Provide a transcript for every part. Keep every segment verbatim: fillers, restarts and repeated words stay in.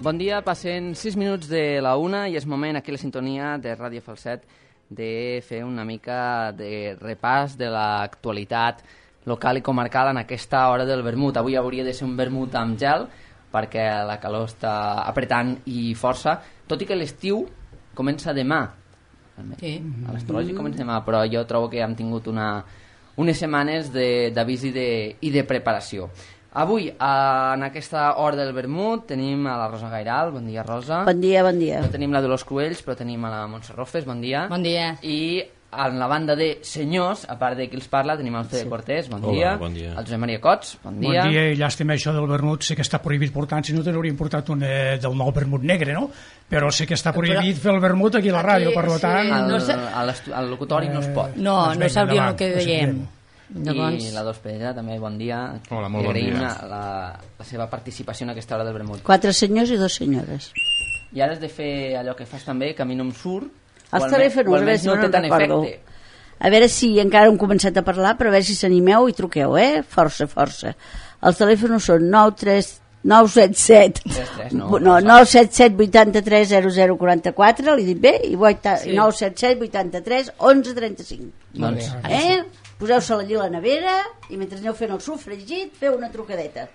Bon dia, passen sis minuts de la una i és moment aquí a la sintonia de Ràdio Falset de fer una mica de repàs de l'actualitat local i comarcal en aquesta hora del vermut. Avui hauria de ser un vermut amb gel perquè la calor està apretant i força, tot i que l'estiu comença demà. Sí. A l'astrològic comença demà, però jo trobo que hem tingut una, unes setmanes d'avís i, de, i de preparació. Avui, en aquesta hora del vermut, tenim a la Rosa Gairal. Bon dia, Rosa. Bon dia, bon dia. No tenim la Dolors Cruells, però tenim a la Montse Rofes. Bon dia. Bon dia. I en la banda de senyors, a part de qui els parla, tenim el Fede sí. Cortés. Bon dia. Hola, bon dia. El Josep Maria Cots. Bon dia. Bon dia, i llàstima això del vermut. Sé que està prohibit portar, si no te n'hauríem portat un eh, del nou vermut negre, no? Però sé que està prohibit però... fer el vermut aquí a la ràdio, per tant... Al, no sé... al locutori eh... no es pot. No, doncs no sabríem el que veiem. Llavors... I la Dos Pedra també, bon dia. Hola, molt bon dia. Agraïm la, la seva participació en aquesta hora del vermut. Quatre senyors i dos senyores. I ara has de fer allò que fas també, que a mi no em surt. Els telèfons, a veure si no, no te'n recordo. Efecte. A veure si encara hem començat a parlar, però a veure si s'animeu i truqueu, eh? Força, força. Els telèfons són nou tres nou set set no, nou set set vuitanta-tres zero zero quaranta-quatre, li dic bé, i sí. nou set set vuitanta-tres onze trenta-cinc. Doncs, eh? Poseu-se-la allí a la nevera i mentre aneu fent el sofregit feu una trucadeta.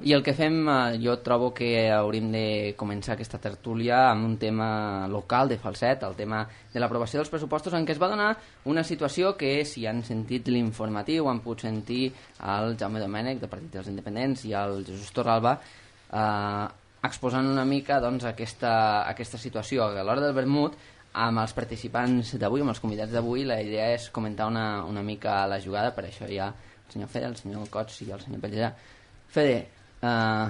I el que fem, jo trobo que hauríem de començar aquesta tertúlia amb un tema local de Falset, el tema de l'aprovació dels pressupostos, en què es va donar una situació que, si han sentit l'informatiu, han pogut sentir el Jaume Domènech, del Partit dels Independents, i el Jesús Torralba, eh, exposant una mica doncs, aquesta, aquesta situació. A l'hora del vermut, amb els participants d'avui, amb els convidats d'avui, la idea és comentar una, una mica la jugada, per això hi ha el senyor Fede, el senyor Cots i el senyor Pellejà. Fede, eh,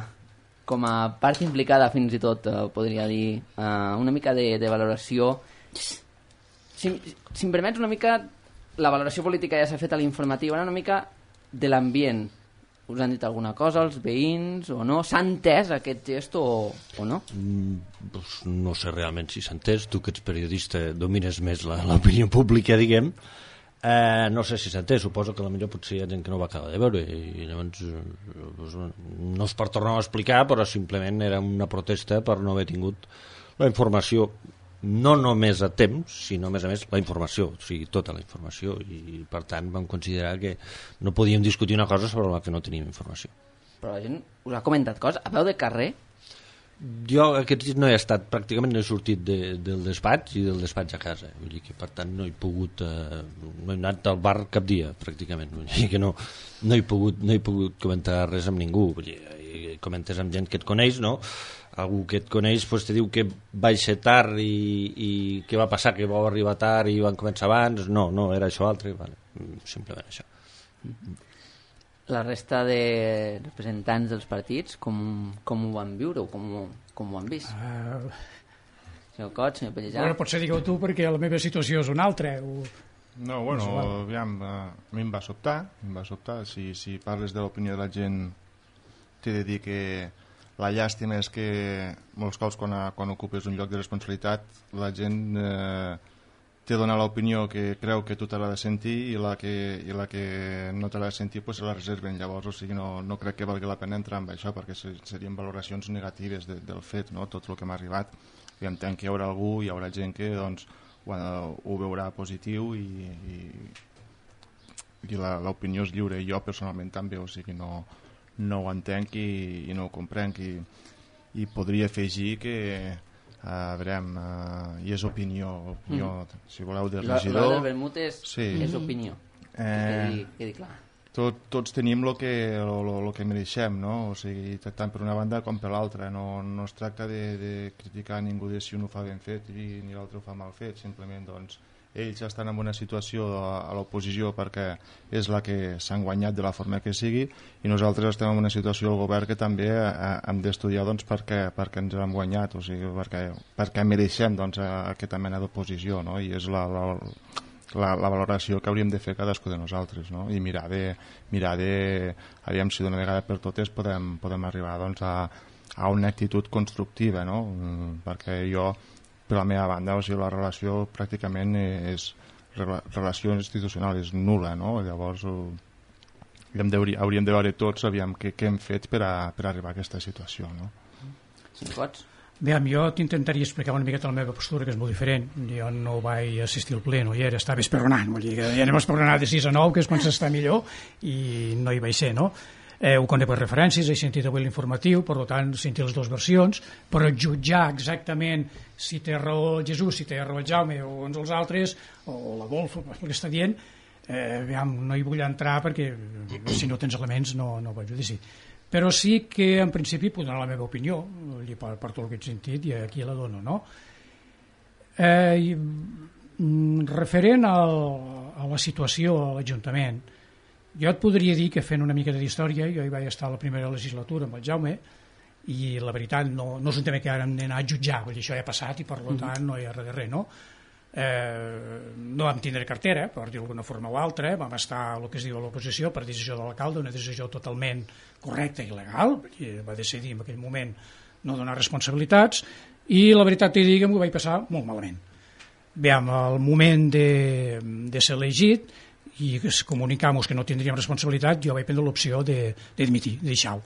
com a part implicada fins i tot, eh, podria dir, eh, una mica de, de valoració, si, si em permets una mica, la valoració política ja s'ha fet a l'informatiu, una mica de l'ambient. Us han dit alguna cosa els veïns o no? S'ha entès aquest gest o, o no? Mm, doncs no sé realment si s'ha entès. Tu que ets periodista domines més l'opinió pública, diguem. Eh, no sé si s'ha entès, suposo que potser potser hi ha gent que no va acabar de veure i llavors doncs, no és per tornar a explicar, però simplement era una protesta per no haver tingut la informació, no només a temps, sinó a més a més la informació, o sigui, tota la informació, i per tant vam considerar que no podíem discutir una cosa sobre la que no teníem informació. Però la gent us ha comentat coses a peu de carrer? Jo aquest dit no he estat, pràcticament no he sortit de, del despatx i del despatx a casa, vull dir que per tant no he pogut eh, no he anat al bar cap dia pràcticament, vull dir que no, no, he pogut, no he pogut comentar res amb ningú, vull dir, comentes amb gent que et coneix, no? Algú que et coneix pues, te diu que vaig ser tard i, i què va passar, que vau arribar tard i van començar abans, no, no, era això altre, vale. Simplement això. La resta de representants dels partits, com, com ho van viure o com, com ho han vist? Uh... Senyor Cots, senyor Pellejà? Bueno, potser digueu tu, perquè la meva situació és una altra. O... No, bueno, aviam, a mi em va sobtar, em va sobtar. Si, si parles de l'opinió de la gent, t'he de dir que la llàstima és que molts cops quan, quan ocupes un lloc de responsabilitat, la gent... Eh, te dona l'opinió que creu que tu te l'ha de sentir i la que, i la que no te l'ha de sentir pues, se la reserven. Llavors, o sigui, no, no crec que valgui la pena entrar en això perquè serien valoracions negatives de, del fet, no? Tot el que m'ha arribat. I entenc que hi haurà algú, hi haurà gent que doncs, ho, ho veurà positiu i, i, i l'opinió és lliure. Jo personalment també, o sigui, no, no ho entenc i, i no ho comprenc. I, i podria afegir que Uh, veurem, uh, i és opinió, opinió mm. si voleu, del regidor. La del vermut és, sí. és opinió, eh... quedi, quedi clar. tot, tots tenim el que, lo, lo que mereixem, no? O sigui, tant per una banda com per l'altra. No, no es tracta de, de criticar ningú de si un ho fa ben fet i ni l'altre ho fa mal fet, simplement doncs ells estan en una situació a, a l'oposició perquè és la que s'han guanyat de la forma que sigui, i nosaltres estem en una situació al govern que també eh, hem d'estudiar doncs, perquè, perquè ens l'hem guanyat, o sigui, perquè, perquè mereixem doncs, aquesta mena d'oposició, no? I és la, la, la, la valoració que hauríem de fer cadascú de nosaltres, no? I mirar de, mirar de aviam si d'una vegada per totes podem, podem arribar doncs, a, a una actitud constructiva, no? Perquè jo, per la meva banda, o sigui, la relació pràcticament és relació institucional és nul·la, no? Llavors hauríem de, hauríem de veure tots aviam què, què hem fet per, a, per arribar a aquesta situació, no? Si pots. Bé, jo t'intentaria explicar una miqueta la meva postura, que és molt diferent. Jo no vaig assistir al ple, no hi era, estava esperonant, vull dir que ja anem a esperonar de sis a nou, que és quan s'està millor, i no hi vaig ser, no? Eh, ho conec per referències, he sentit avui l'informatiu, per tant, sentir les dues versions, però jutjar exactament si té raó el Jesús, si té raó el Jaume o uns els altres, o l'Adolfo, el que està dient, eh, aviam, no hi vull entrar perquè si no tens elements no, no vaig dir sí. Però sí que en principi puc donar la meva opinió, per, per tot el que he sentit, i aquí la dono, no? Eh, i, referent al, a la situació a l'Ajuntament, jo et podria dir que fent una mica d'història, jo hi vaig estar a la primera legislatura amb el Jaume, i la veritat no, no és un tema que ara hem d'anar a jutjar, vull dir, això ja ha passat i per tant no hi ha res de res, no? Eh, no vam tindre cartera, per dir d'alguna forma o altra, vam estar a el que es diu a l'oposició per decisió de l'alcalde, una decisió totalment correcta i legal, perquè va decidir en aquell moment no donar responsabilitats, i la veritat t'hi dic que m'ho vaig passar molt malament. Bé, al moment de, de ser elegit i comunicar-nos que no tindríem responsabilitat, jo vaig prendre l'opció de, de dimitir, de deixar-ho.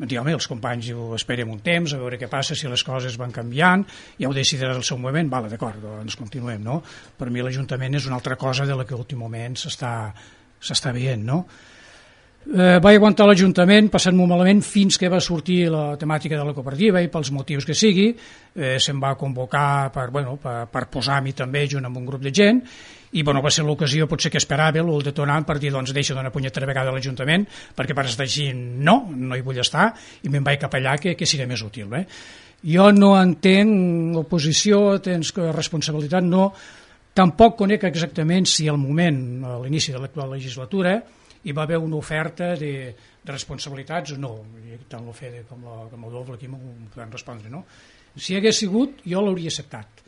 Em dic, home, els companys ho esperem un temps, a veure què passa, si les coses van canviant, ja ho decidiràs al seu moment, vale, d'acord, doncs continuem, no? Per mi l'Ajuntament és una altra cosa de la que últimament s'està veient, no? Eh, vaig aguantar l'Ajuntament passant-m'ho malament fins que va sortir la temàtica de la cooperativa i pels motius que sigui, eh, se'm va convocar per, bueno, per, per posar-m'hi també junt amb un grup de gent, i bueno, va ser l'ocasió potser que esperava el detonant per dir, doncs deixa d'una punyetera vegada a l'Ajuntament perquè per estar així no, no hi vull estar, i me'n vaig cap allà que, que serà més útil, eh? Jo no entenc oposició, tens responsabilitat, no, tampoc conec exactament si al moment, a l'inici de l'actual legislatura, hi va haver una oferta de, de responsabilitats o no, tant el Fede com l'Adolfo aquí m'ho poden respondre, no? Si hagués sigut, jo l'hauria acceptat,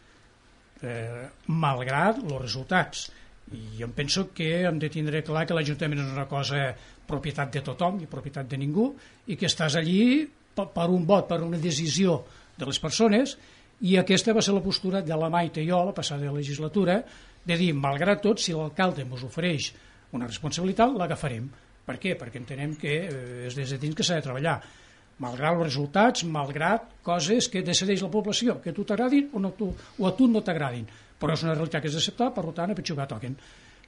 eh, malgrat els resultats, i jo em penso que hem de tindre clar que l'Ajuntament és una cosa propietat de tothom i propietat de ningú, i que estàs allí per, per un vot, per una decisió de les persones, i aquesta va ser la postura de la Maite i jo la passada legislatura, de dir, malgrat tot, si l'alcalde ens ofereix una responsabilitat, l'agafarem. Per què? Perquè entenem que eh, és des de dins que s'ha de treballar, malgrat els resultats, malgrat coses que decideix la població, que a tu t'agradin o, no, tu, o a tu no t'agradin, però és una realitat que és d'acceptar, per tant a pitjor toquen.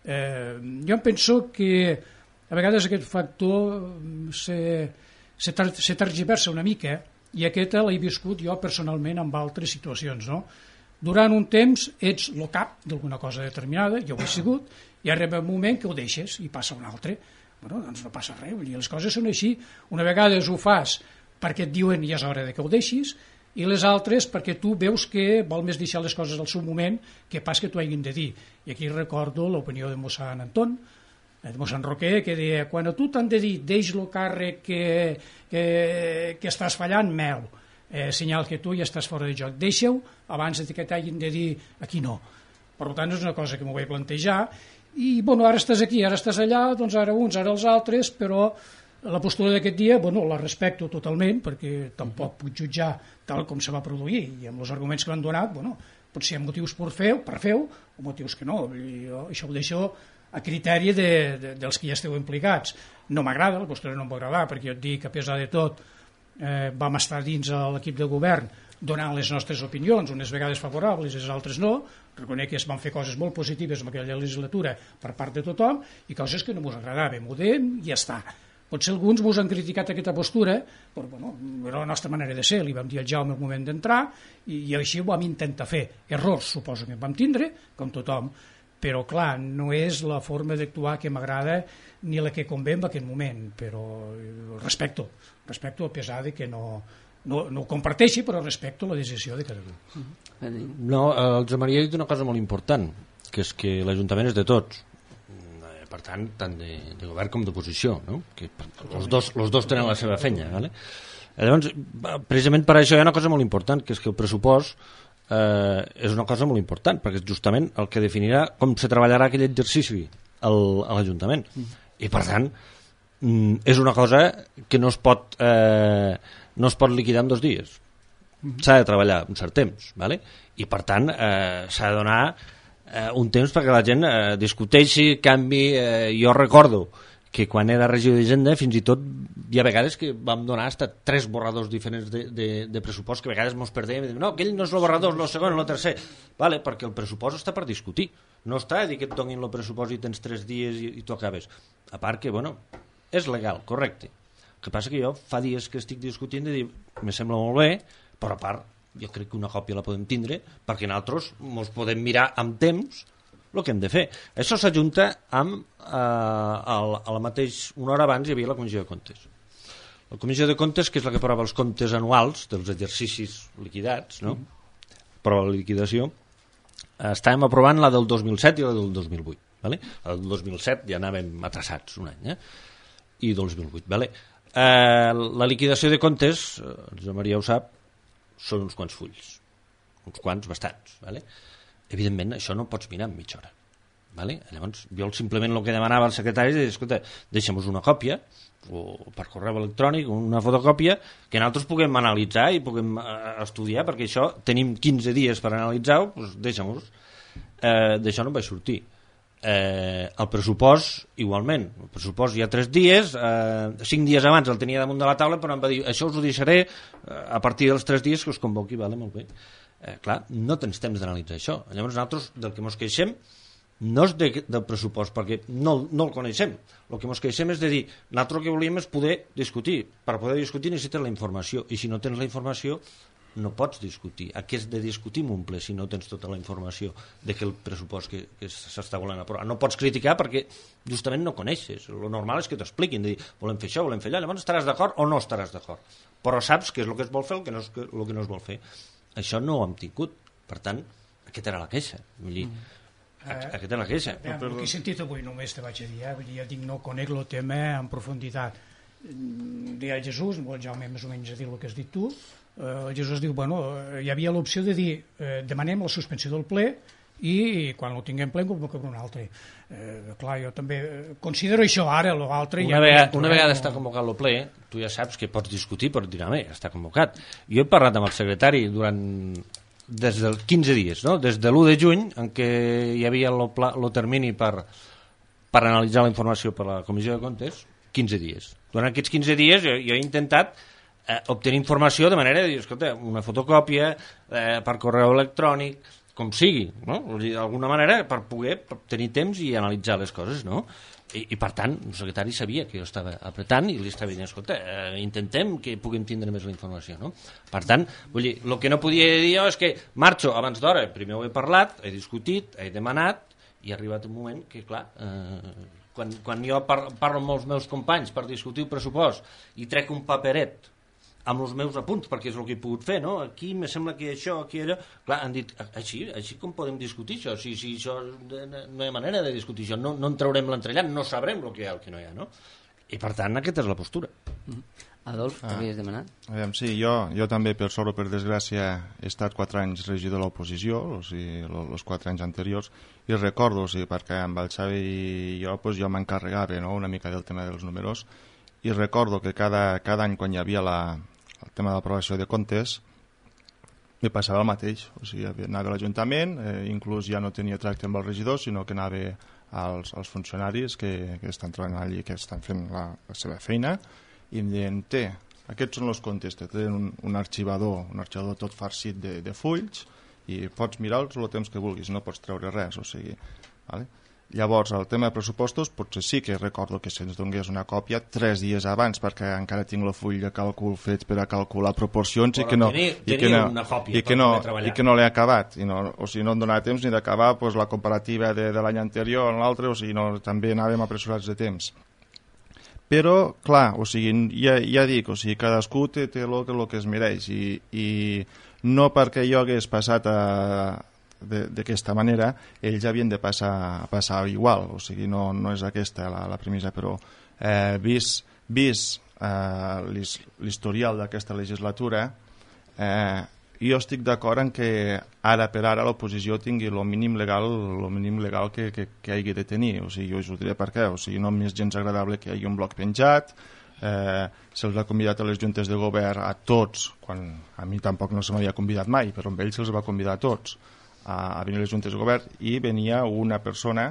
Eh, jo em penso que a vegades aquest factor se, se, tar, se tergiversa una mica, i aquesta l'he viscut jo personalment en altres situacions, no? Durant un temps ets el cap d'alguna cosa determinada, jo ho he sigut, i arriba un moment que ho deixes i passa un altre. Bueno, doncs no passa res, vull dir, les coses són així. Una vegada ho fas perquè et diuen ja és hora de que ho deixis, i les altres perquè tu veus que vol més deixar les coses al seu moment que pas que t'ho hagin de dir. I aquí recordo l'opinió de mossèn Anton, de mossèn Roquer, que deia, quan a tu t'han de dir deix el càrrec que, que, que estàs fallant, meu, eh, senyal que tu ja estàs fora de joc, deixa-ho abans que t'hagin de dir aquí no. Per tant, és una cosa que m'ho vaig plantejar, i bueno, ara estàs aquí, ara estàs allà, doncs ara uns, ara els altres, però la postura d'aquest dia, bueno, la respecto totalment, perquè tampoc puc jutjar tal com se va produir, i amb els arguments que m'han donat, bueno, potser hi ha motius per fer, per fer-ho, o motius que no, i jo això ho deixo a criteri de, de, dels que ja esteu implicats. No m'agrada, la postura no em va agradar, perquè jo et dic que a pesar de tot eh, vam estar dins l'equip de govern donant les nostres opinions, unes vegades favorables i les altres no. Reconec que es van fer coses molt positives en aquella legislatura per part de tothom i coses que no ens agradaven, m'ho deien i ja està. Potser alguns ens han criticat aquesta postura, però bueno, era la nostra manera de ser, li vam dir al Jaume al moment d'entrar i, i així ho vam intentar fer. Errors suposo que en vam tindre, com tothom, però clar, no és la forma d'actuar que m'agrada ni la que convé en aquest moment, però respecto, respecto a pesar de que no, no, no ho comparteixi, però respecto la decisió de cada un. No, el Josep Maria ha dit una cosa molt important, que és que l'Ajuntament és de tots, per tant, tant de, de govern com d'oposició, no? Que els dos, els dos tenen la seva feina, ¿vale? Llavors, precisament per això hi ha una cosa molt important, que és que el pressupost eh, és una cosa molt important, perquè és justament el que definirà com se treballarà aquell exercici al, a l'Ajuntament. Mm. I per tant, mm, és una cosa que no es pot, eh, no es pot liquidar en dos dies. Mm. S'ha de treballar un cert temps, ¿vale? I per tant eh, s'ha de donar eh, un temps perquè la gent eh, discuteixi, canvi. Eh, jo recordo que quan era regidor d'Hisenda fins i tot hi ha vegades que vam donar hasta tres borradors diferents de, de, de pressupost, que a vegades mos perdem i diem, no, aquell no és el borrador, el segon, el tercer, vale, perquè el pressupost està per discutir, no està a dir que et donin el pressupost i tens tres dies i, i tu acabes, a part que, bueno, és legal, correcte, el que passa que jo fa dies que estic discutint i dic, me sembla molt bé, però a part jo crec que una còpia la podem tindre perquè nosaltres mos podem mirar amb temps el que hem de fer. Això s'ajunta amb eh, el, el mateix, una hora abans hi havia la Comissió de Comptes. La Comissió de Comptes, que és la que aprova els comptes anuals dels exercicis liquidats, no? Aprova la liquidació. Estàvem aprovant la del dos mil set i la del dos mil vuit. Vale? La del dos mil set ja anàvem atrasats un any, eh? I dos mil vuit. Vale? Eh, la liquidació de comptes, eh, Josep Maria ho sap, són uns quants fulls. Uns quants, bastants. Vale? Evidentment, això no ho pots mirar en mitja hora. Vale? Llavors, jo simplement el que demanava al secretari és, escolta, deixa'm-nos una còpia, o per correu electrònic, una fotocòpia, que nosaltres puguem analitzar i puguem uh, estudiar, perquè això tenim quinze dies per analitzar-ho, doncs deixa'm-nos. Eh, d'això no em vaig sortir. Eh, el pressupost, igualment. El pressupost hi ha tres dies, eh, cinc dies abans el tenia damunt de la taula, però em va dir, això us ho deixaré eh, a partir dels tres dies que us convoqui, vale, molt bé. Eh, clar, no tens temps d'analitzar això. Llavors nosaltres del que ens queixem no és de, del pressupost, perquè no, no el coneixem. El que ens queixem és de dir, nosaltres el que volíem és poder discutir. Per poder discutir necessites la informació, i si no tens la informació no pots discutir. A què has de discutir en un ple si no tens tota la informació de que el pressupost que, que s'està volent aprovar? No pots criticar perquè justament no coneixes. El normal és que t'expliquin, de dir, volem fer això, volem fer allò, llavors estaràs d'acord o no estaràs d'acord. Però saps què és el que es vol fer, el que no és, el que no es vol fer. Això no ho hem tingut. Per tant, aquesta era la queixa. Vull dir, mm. aquesta era la queixa. Eh, el que he sentit avui només te vaig a dir, eh? Vull dir, ja dic, no conec el tema en profunditat. Deia Jesús, el Jaume més o menys ha dit el que has dit tu, eh, Jesús diu, bueno, hi havia l'opció de dir, eh, demanem la suspensió del ple i quan ho tinguem ple en convoquem un altre. Eh, clar, jo també considero això ara, l'altre... Una, ja vegada, una vegada no... està convocat el ple, tu ja saps que pots discutir, pots dir, home, està convocat. Jo he parlat amb el secretari durant des dels quinze dies, no? Des de l'u de juny, en què hi havia el termini per, per analitzar la informació per la Comissió de Comptes, quinze dies. Durant aquests quinze dies jo, jo he intentat eh, obtenir informació de manera de dir, escolta, una fotocòpia eh, per correu electrònic, com sigui, no? D'alguna manera per poder tenir temps i analitzar les coses, no? I, i per tant, el secretari sabia que jo estava apretant i li estava dient, escolta, eh, intentem que puguem tindre més la informació, no? Per tant, vull dir, el que no podia dir jo és que marxo abans d'hora, primer ho he parlat, he discutit, he demanat, i ha arribat un moment que, clar, eh, quan, quan jo par parlo amb els meus companys per discutir el pressupost i trec un paperet amb els meus apunts, perquè és el que he pogut fer, no? Aquí me sembla que això, aquí allò... Clar, han dit, així, així com podem discutir això? Si, si això no hi ha manera de discutir això, no, no en traurem l'entrellat, no sabrem el que hi ha o el que no hi ha, no? I per tant, aquesta és la postura. Mm-hmm. Adolf, ah. t'havies demanat? Aviam, sí, jo, jo també, per sort o per desgràcia, he estat quatre anys regidor de l'oposició, o sigui, els quatre anys anteriors, i recordo, o sigui, perquè amb el Xavi i jo, pues, jo m'encarregava, no?, una mica del tema dels números, i recordo que cada, cada any, quan hi havia la, el tema de l'aprovació de comptes, me passava el mateix, o sigui, anava a l'Ajuntament, eh, inclús ja no tenia tracte amb el regidor, sinó que anava als, als funcionaris que, que estan treballant allí, que estan fent la, la seva feina, i em deien, té, aquests són els comptes, te tenen un, un arxivador, un arxivador tot farcit de, de fulls, i pots mirar-los el temps que vulguis, no pots treure res, o sigui, vale? Llavors, el tema de pressupostos, potser sí que recordo que se'ns donés una còpia tres dies abans, perquè encara tinc el full de càlcul fet per a calcular proporcions i que no, tenia, i que no, una còpia i que no, i que no l'he acabat. I no, o sigui, no em donava temps ni d'acabar pues, la comparativa de, de l'any anterior amb l'altre, o sigui, no, també anàvem apressurats de temps. Però, clar, o sigui, ja, ja dic, o sigui, cadascú té, té el, el que es mereix i, i no perquè jo hagués passat a d'aquesta manera, ells havien de passar, passar igual, o sigui, no, no és aquesta la, la premissa, però eh, vist, vist eh, l'historial d'aquesta legislatura, eh, jo estic d'acord en que ara per ara l'oposició tingui el mínim legal, el mínim legal que, que, que hagi de tenir, o sigui, jo us ho diré per què, o sigui, no m'és gens agradable que hi hagi un bloc penjat, eh, se'ls ha convidat a les juntes de govern a tots, quan a mi tampoc no se m'havia convidat mai, però amb ells se'ls va convidar a tots a venir a les juntes de govern i venia una persona,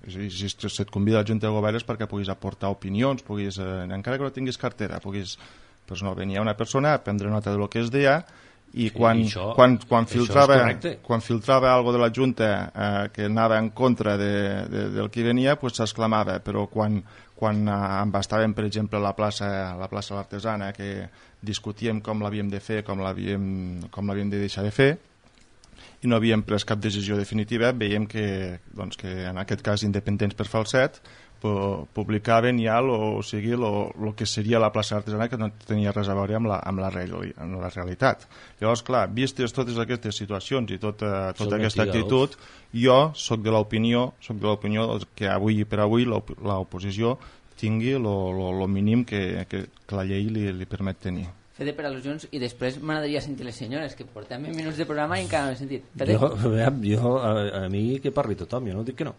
és a dir, si et convida a la junta de govern és perquè puguis aportar opinions, puguis, eh, encara que no tinguis cartera, puguis, doncs no, venia una persona a prendre nota del que es deia i quan, sí, això, quan, quan, filtrava, quan filtrava algo de la junta eh, que anava en contra de, de, del que venia, pues s'exclamava, però quan, quan eh, embastàvem, per exemple, la plaça, la plaça de l'Artesana, que discutíem com l'havíem de fer, com l'havíem com l'havíem de deixar de fer, i no havíem pres cap decisió definitiva, veiem que, doncs, que en aquest cas Independents per Falset publicaven ja lo, o sigui, el que seria la plaça artesana, que no tenia res a veure amb la, amb la, reali, amb la realitat. Llavors, clar, vistes totes aquestes situacions i tota, tota aquesta actitud, jo soc de l'opinió soc de l'opinió que avui per avui l'oposició tingui el mínim que, que, que la llei li, li permet tenir. Fede per al·lusions i després m'agradaria sentir les senyores, que portem vint minuts de programa i encara no he sentit. Fede? Jo, veiem, jo a, a mi que parli tothom, jo no dic que no.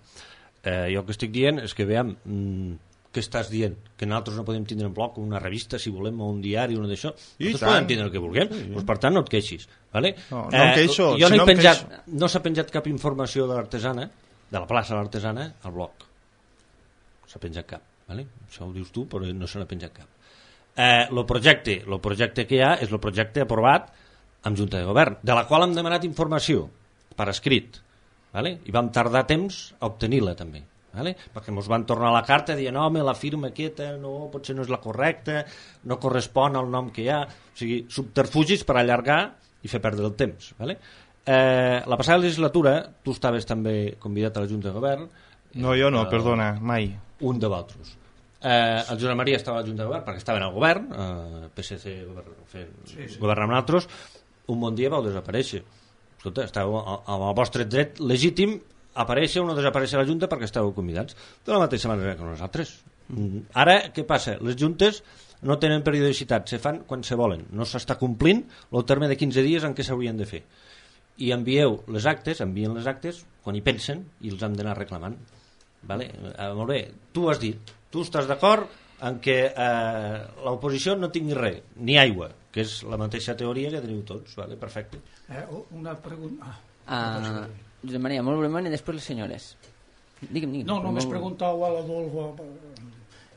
Eh, jo el que estic dient és que, veiem, mm, què estàs dient? Que nosaltres no podem tindre en bloc una revista, si volem, o un diari, una d'això. Nosaltres podem tindre el que vulguem, sí, doncs, per tant no et queixis. Vale? No, no em queixo. Eh, jo no, si no, he penjat, no s'ha penjat cap informació de l'artesana, de la plaça de l'artesana, al bloc. No s'ha penjat cap. Vale? Això ho dius tu, però no se n'ha penjat cap. Eh, el projecte, el projecte que hi ha és el projecte aprovat amb Junta de Govern, de la qual hem demanat informació per escrit, vale? I vam tardar temps a obtenir-la també, vale? Perquè ens van tornar la carta dient, home, la firma aquesta no, potser no és la correcta, no correspon al nom que hi ha, o sigui, subterfugis per allargar i fer perdre el temps, vale? Eh, la passada legislatura tu estaves també convidat a la Junta de Govern. No, jo no, eh, perdona, mai. Un de vosaltres. Eh, el Josep Maria estava a la Junta de Govern perquè estava en el govern, eh, P S C govern, fent, sí, sí. govern amb nosaltres. Un bon dia vau desaparèixer. Escolta, estàveu amb el vostre dret legítim aparèixer o no desaparèixer a la Junta perquè estàveu convidats de la mateixa manera que nosaltres. Mm. Ara, què passa? Les juntes no tenen periodicitat, se fan quan se volen, no s'està complint el terme de quinze dies en què s'haurien de fer, i envieu les actes, envien les actes quan hi pensen i els hem d'anar reclamant, vale? Eh, molt bé, tu has dit, tu estàs d'acord en que eh, l'oposició no tingui res, ni aigua, que és la mateixa teoria que teniu tots, vale? Perfecte. Eh, una pregunta... Ah, uh, Josep Maria, molt breument i després les senyores. Digue'm, digue'm. No, només molt... preguntau a l'Adolfo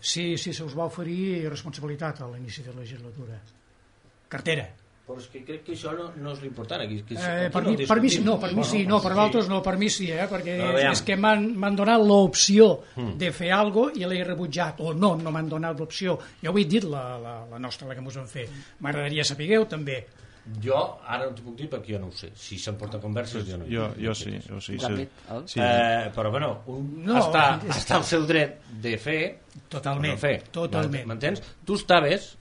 si, si se us va oferir responsabilitat a l'inici de la legislatura. Cartera. Però és que crec que això no, no és l'important. Aquí, aquí, eh, per, mi, per mi no, per mi sí, no, per vosaltres no, per mi sí, eh, perquè no, és que m'han donat l'opció mm. de fer alguna cosa i l'he rebutjat, o no, no m'han donat l'opció. Jo ho he dit, la, la, la nostra, la que mos van fer. M'agradaria sapigueu, també. Jo ara no t'ho puc dir perquè jo no ho sé. Si se'n porta converses, jo no. Jo, jo sí, jo sí. sí. sí. Eh, però bueno, un no, està, és... està al seu dret de fer totalment, no fer. Totalment. M'entens? Tu estaves...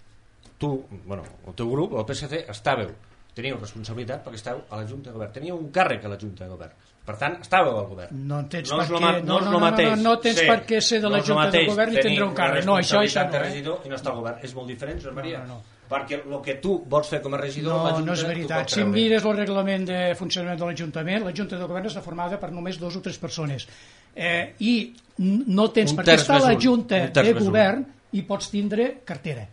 tu, bueno, el teu grup, el P S C, estàveu, teníeu responsabilitat perquè estàveu a la Junta de Govern, teníeu un càrrec a la Junta de Govern, per tant, estàveu al govern. No tens no per què no, no, no, no, no tens per què ser de la Junta de Govern i tindre un càrrec. No, això, això no. Regidor i no està al govern. És molt diferent, Josep Maria. No, no, no. Perquè el que tu vols fer com a regidor... No, la Junta, no és veritat. Si mires el reglament de funcionament de l'Ajuntament, la Junta de Govern està formada per només dos o tres persones. Eh, I no tens per què estar a la Junta de Govern i pots tindre cartera.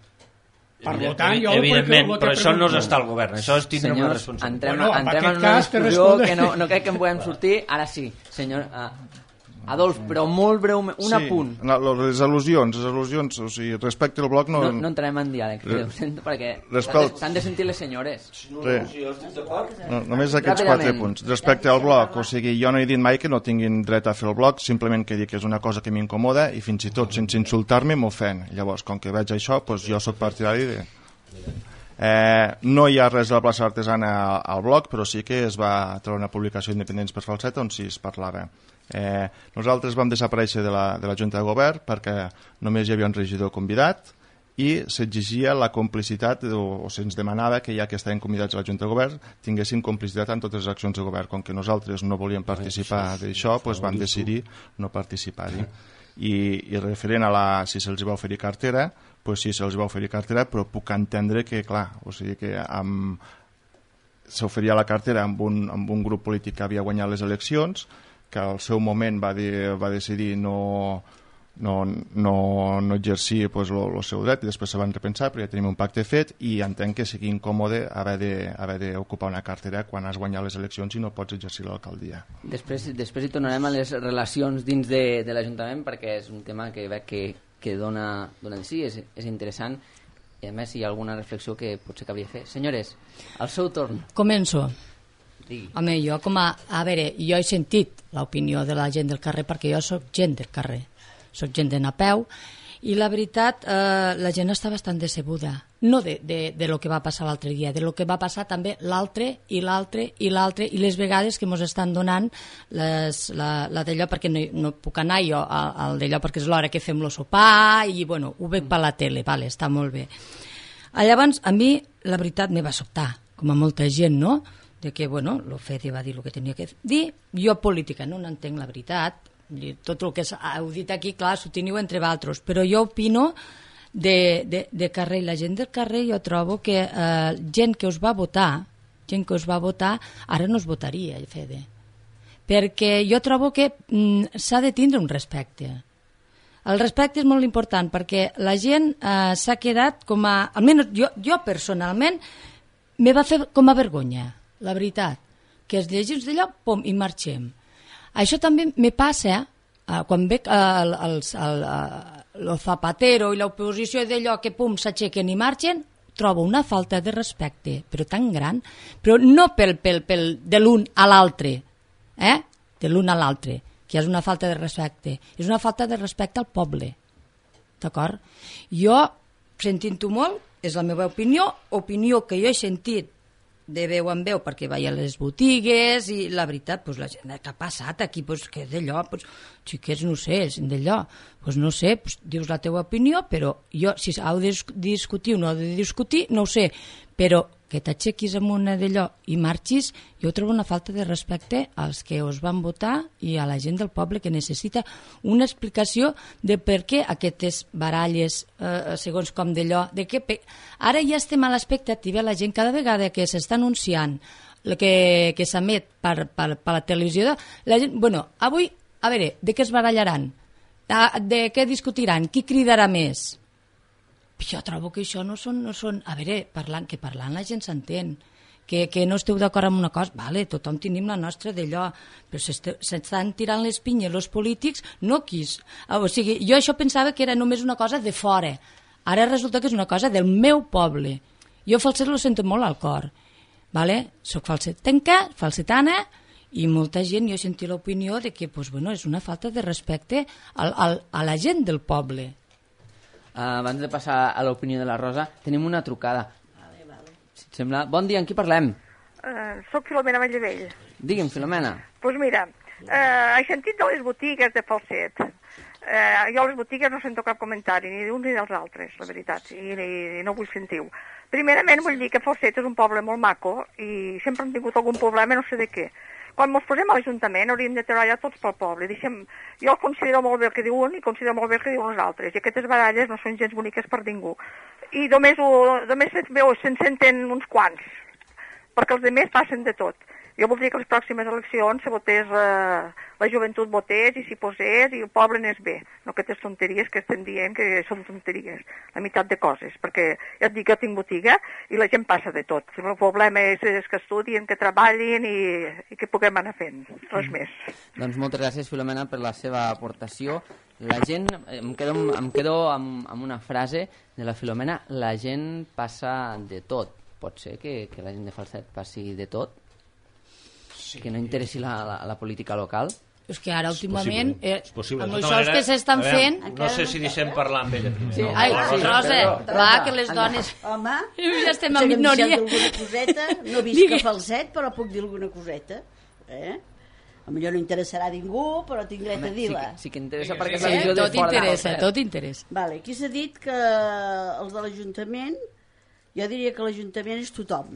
Per tant, jo evidentment, però això no és estar al govern, això és tindre una responsabilitat. Entrem, bueno, entrem en una discussió que no, no crec que en podem sortir. Ara sí, senyor... Ah. Adolf, però molt breument, un sí, apunt. No, les al·lusions, les al·lusions, o sigui, respecte al bloc... No, no, no entrarem en diàleg, Re... perquè Respect... s'han de sentir les senyores. Sí. No, només aquests quatre punts. Respecte al bloc, o sigui, jo no he dit mai que no tinguin dret a fer el bloc, simplement que dic que és una cosa que m'incomoda i fins i tot sense insultar-me m'ofèn. Llavors, com que veig això, doncs jo soc partidari de... Eh, no hi ha res a la plaça Artesana al bloc, però sí que es va treure una publicació independent per Falset on sí es parlava. Eh, nosaltres vam desaparèixer de la, de la Junta de Govern perquè només hi havia un regidor convidat i s'exigia la complicitat o, o se'ns demanava que ja que estaven convidats a la Junta de Govern tinguessin complicitat en totes les accions de govern. Com que nosaltres no volíem participar d'això, doncs vam decidir no participar-hi. I, i referent a la, si se'ls va oferir cartera, doncs sí, se'ls va oferir cartera, però puc entendre que, clar, o sigui que amb... s'oferia la cartera amb un, amb un grup polític que havia guanyat les eleccions, que al seu moment va, dir, va decidir no, no, no, no exercir el pues, lo, lo seu dret, i després se van repensar, però ja tenim un pacte fet i entenc que sigui incòmode haver d'ocupar una cartera quan has guanyat les eleccions i no pots exercir l'alcaldia. Després, després hi tornarem a les relacions dins de, de l'Ajuntament, perquè és un tema que veig que, que dona, dona de sí, és, és interessant, i a més hi ha alguna reflexió que potser cabria fer. Senyores, al seu torn. Començo. Digui. Home, jo com a... A veure, jo he sentit l'opinió de la gent del carrer perquè jo sóc gent del carrer, sóc gent d'anar a peu, i la veritat, eh, la gent està bastant decebuda. No de, de, de lo que va passar l'altre dia, de lo que va passar també l'altre i l'altre i l'altre, i les vegades que mos estan donant les, la, la d'allò, perquè no, no puc anar jo al d'allò, perquè és l'hora que fem lo sopar, i bueno, ho veig per la tele, vale, està molt bé. Llavors, a mi, la veritat, me va sobtar, com a molta gent, no?, de que, bueno, lo Fede va dir el que tenia que dir, jo política no n'entenc la veritat, tot el que heu dit aquí, clar, s'ho teniu entre vosaltres, però jo opino de, de, de carrer, la gent del carrer jo trobo que eh, gent que us va votar, gent que us va votar, ara no us votaria, Fede, perquè jo trobo que mm, s'ha de tindre un respecte. El respecte és molt important, perquè la gent eh, s'ha quedat com a... Almenys jo, jo personalment me va fer com a vergonya, la veritat, que es llegim d'allò, pom, i marxem. Això també me passa eh, quan veig el, el, el, el Zapatero i l'oposició d'allò que pum, s'aixequen i marxen, trobo una falta de respecte, però tan gran, però no pel, pel, pel de l'un a l'altre, eh? de l'un a l'altre, que és una falta de respecte, és una falta de respecte al poble, d'acord? Jo, sentint-ho molt, és la meva opinió, opinió que jo he sentit de veu en veu perquè vaig a les botigues i la veritat, pues, la gent que ha passat aquí, pues, que d'allò, pues, xiquets, no sé, d'allò, pues, no sé, pues, dius la teva opinió, però jo, si heu de discutir o no heu de discutir, no ho sé, però que t'aixequis amb una d'allò i marxis, jo trobo una falta de respecte als que us van votar i a la gent del poble que necessita una explicació de per què aquestes baralles, eh, segons com d'allò, de què... Ara ja estem a l'expectativa, la gent cada vegada que s'està anunciant que, que s'emet per, per, per la televisió, la gent, bueno, avui, a veure, de què es barallaran? De, de què discutiran? Qui cridarà més? Jo trobo que això no són... No són a veure, parlant, que parlant la gent s'entén, que, que no esteu d'acord amb una cosa, vale, tothom tenim la nostra d'allò, però s'estan tirant les pinyes els polítics, no quis. O sigui, jo això pensava que era només una cosa de fora, ara resulta que és una cosa del meu poble. Jo falset lo sento molt al cor, vale? Soc falsetenca, falsetana, i molta gent, jo he sentit l'opinió de que pues, bueno, és una falta de respecte al, al, a la gent del poble. Uh, abans de passar a l'opinió de la Rosa, tenim una trucada. Vale, vale. Si et sembla... Bon dia, amb qui parlem? Uh, soc Filomena Vallavell. Digue'm, Filomena. Doncs pues mira, uh, he sentit de les botigues de Falset. Uh, jo a les botigues no sento cap comentari, ni d'uns ni dels altres, la veritat, i, i no vull sentir-ho. Primerament vull dir que Falset és un poble molt maco i sempre hem tingut algun problema, no sé de què. Quan ens posem a l'Ajuntament hauríem de treballar tots pel poble. Deixem... Jo considero molt bé el que diu un i considero molt bé el que diuen els altres. I aquestes baralles no són gens boniques per ningú. I només, ho... només se'n veu, se'n senten uns quants, perquè els altres passen de tot. Jo voldria que les pròximes eleccions se votés, eh, la joventut votés i s'hi posés i el poble n'és bé, no aquestes tonteries que estem dient que són tonteries, la meitat de coses, perquè ja et dic, jo tinc botiga i la gent passa de tot. El problema és, és que estudien, que treballin i, i que puguem anar fent, res mm. més. Doncs moltes gràcies, Filomena, per la seva aportació. La gent, em quedo, em quedo amb, amb una frase de la Filomena, la gent passa de tot. Pot ser que, que la gent de Falset passi de tot? Sí. Que no interessi la, la, la política local? És que ara últimament, eh, amb això els que s'estan fent... No sé si deixem parlar amb ella primer. Sí. No, ai, sí, Rosa, clar que les dones... Home, ja estem en minoria. Coseta, no visc a Falset, però puc dir alguna coseta. Eh? A millor no interessarà a ningú, però tinc dret a dir-la. Sí, sí que interessa, perquè és sí, la visió de tot fora interessa, de tot interessa. Vale, aquí s'ha dit que els de l'Ajuntament, jo diria que l'Ajuntament és tothom.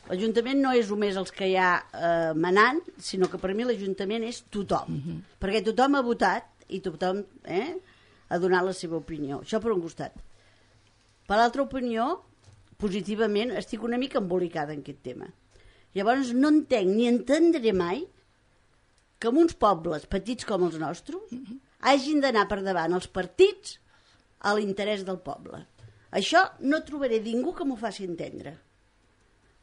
L'Ajuntament no és només els que hi ha eh, manant, sinó que per mi l'Ajuntament és tothom. Uh -huh. Perquè tothom ha votat i tothom eh, ha donat la seva opinió. Això per un costat. Per l'altra opinió, positivament, estic una mica embolicada en aquest tema. Llavors no entenc ni entendré mai que en uns pobles petits com els nostres uh -huh. hagin d'anar per davant els partits a l'interès del poble. Això no trobaré ningú que m'ho faci entendre.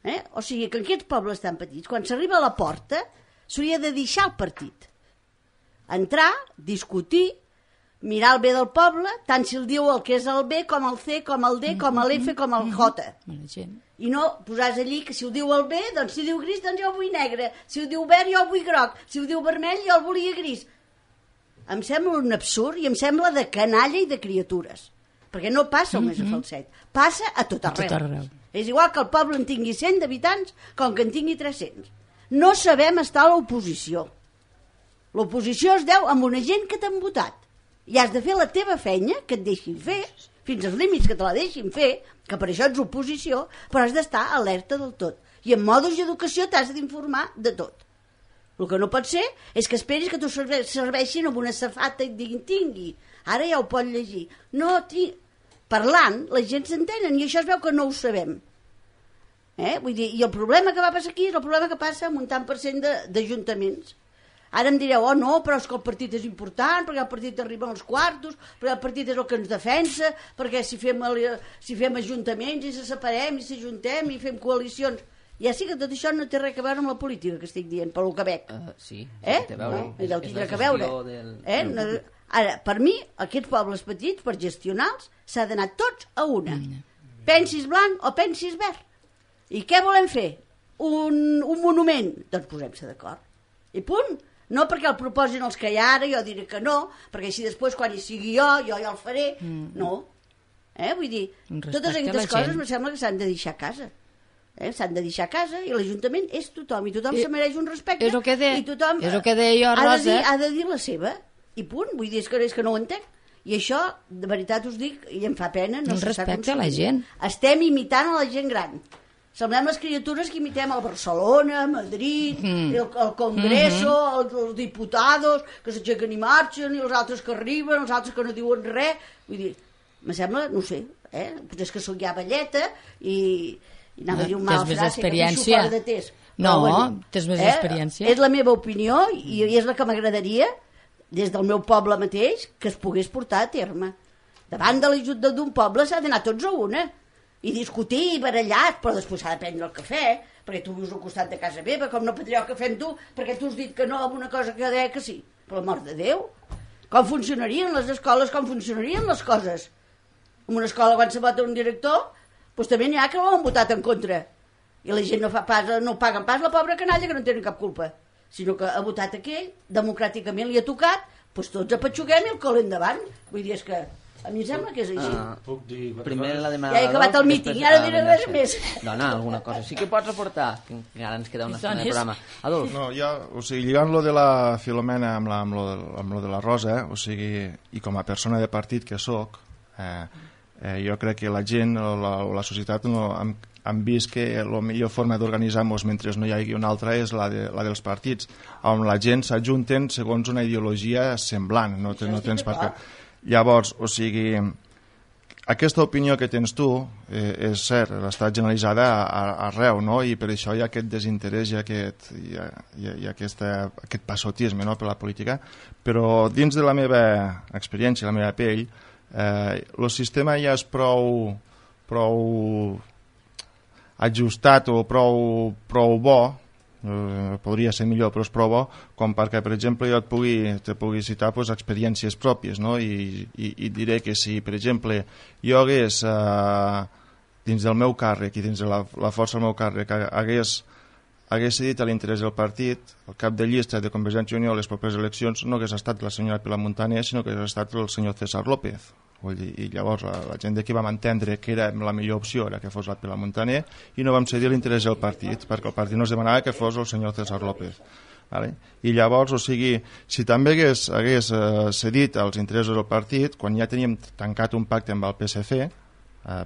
Eh? O sigui, que en aquests pobles tan petits, quan s'arriba a la porta, s'hauria de deixar el partit. Entrar, discutir, mirar el bé del poble, tant si el diu el que és el B, com el C, com el D, com l'F, com el J. I no posar allí que si ho diu el B, doncs si diu gris, doncs jo ho vull negre. Si ho diu verd, jo ho vull groc. Si ho diu vermell, jo el volia gris. Em sembla un absurd i em sembla de canalla i de criatures. Perquè no passa només a Falset, passa a tot arreu. A tot arreu. És igual que el poble en tingui cent d'habitants com que en tingui tres-cents. No sabem estar a l'oposició. L'oposició es deu amb una gent que t'han votat. I has de fer la teva feina, que et deixin fer, fins als límits que te la deixin fer, que per això ets oposició, però has d'estar alerta del tot. I en modus i educació t'has d'informar de tot. El que no pot ser és que esperis que t'ho serveixin amb una safata i et diguin tingui, ara ja ho pot llegir. No, ti... parlant, la gent s'entenen i això es veu que no ho sabem. Eh? Vull dir, i el problema que va passar aquí és el problema que passa amb un tant per cent d'ajuntaments. Ara em direu, oh no, però és que el partit és important, perquè el partit arriba als quartos, perquè el partit és el que ens defensa, perquè si fem, si fem ajuntaments i se separem i s'ajuntem i fem coalicions... Ja sí que tot això no té res a veure amb la política que estic dient, pel que veig. Uh, sí, eh? té a veure. No, és, és la gestió del... Eh? No, ara, per mi, aquests pobles petits, per gestionar-los, s'ha d'anar tots a una. Mm. Pensis blanc o pensis verd. I què volem fer? Un, un monument? Doncs posem-se d'acord. I punt. No perquè el proposin els que hi ha ara, jo diré que no, perquè així després, quan hi sigui jo, jo ja el faré. Mm. No. Eh? Vull dir, totes aquestes coses em sembla que s'han de deixar a casa. Eh? S'han de deixar a casa i l'Ajuntament és tothom i tothom I, se mereix un respecte és el que de, i tothom és el que deia jo, ha, de dir, ha de dir la seva i punt, vull dir, és que, és que no ho entenc i això, de veritat us dic i em fa pena, no un respecte a la gent. Estem imitant a la gent gran, semblem les criatures que imitem al Barcelona, Madrid mm. el, el Congreso mm -hmm. els, els diputados que s'aixequen i marxen i els altres que arriben, els altres que no diuen res, vull dir, me sembla, no sé eh? Potser és que sóc ja velleta i i anava no, a dir un mal frase, que deixo fora de test. No, bueno, tens més eh? experiència. És la meva opinió i, i és la que m'agradaria, des del meu poble mateix, que es pogués portar a terme. Davant de l'ajut d'un poble s'ha d'anar tots a una i discutir i barallar, però després s'ha de prendre el cafè, perquè tu vius al costat de casa meva, com no prendré el cafè amb tu, perquè tu has dit que no amb una cosa que deia que sí. Per l'amor de Déu, com funcionarien les escoles, com funcionarien les coses? En una escola, quan se vota un director, doncs també n'hi ha que l'han votat en contra i la gent no fa pas, no paguen pas la pobra canalla que no tenen cap culpa, sinó que ha votat aquell, democràticament li ha tocat, doncs tots apatxuguem i el col endavant. Vull dir, és que a mi em sembla que és així. Uh, Puc dir... Primer la demanada... Ja he acabat el míting i ara diré res més. Dona, alguna cosa sí que pots aportar, que encara ens queda una estona de programa. Adolf. No, ja, o sigui, lligant-lo de la Filomena amb, la, amb, lo, amb lo de la Rosa, eh, o sigui, i com a persona de partit que sóc, eh, Eh, jo crec que la gent o la, o la societat no, han, han vist que la millor forma d'organitzar-nos mentre no hi hagi una altra és la, de, la dels partits, on la gent s'ajunten segons una ideologia semblant, no, no tens per què. Llavors, o sigui, aquesta opinió que tens tu eh, és cert, està generalitzada a, a, arreu, no? I per això hi ha aquest desinterès i aquest, hi ha, hi ha, hi ha aquesta, aquest passotisme, no?, per la política, però dins de la meva experiència, la meva pell, eh, el sistema ja és prou, prou ajustat o prou, prou bo, eh, podria ser millor, però és prou bo, com perquè, per exemple, jo et pugui, te pugui citar pues, experiències pròpies, no? I, i, i diré que si, per exemple, jo hagués, eh, dins del meu càrrec i dins de la, la força del meu càrrec, hagués, hagués cedit a l'interès del partit, el cap de llista de Convergència i Unió a les properes eleccions no hagués estat la senyora Pilar Montaner, sinó que hagués estat el senyor César López. I llavors la, la gent d'aquí vam entendre que era la millor opció era que fos la Pilar Montaner i no vam cedir l'interès del partit perquè el partit no es demanava que fos el senyor César López, vale? I llavors, o sigui, si també hagués, hagués eh, cedit als interessos del partit quan ja teníem tancat un pacte amb el P S C eh,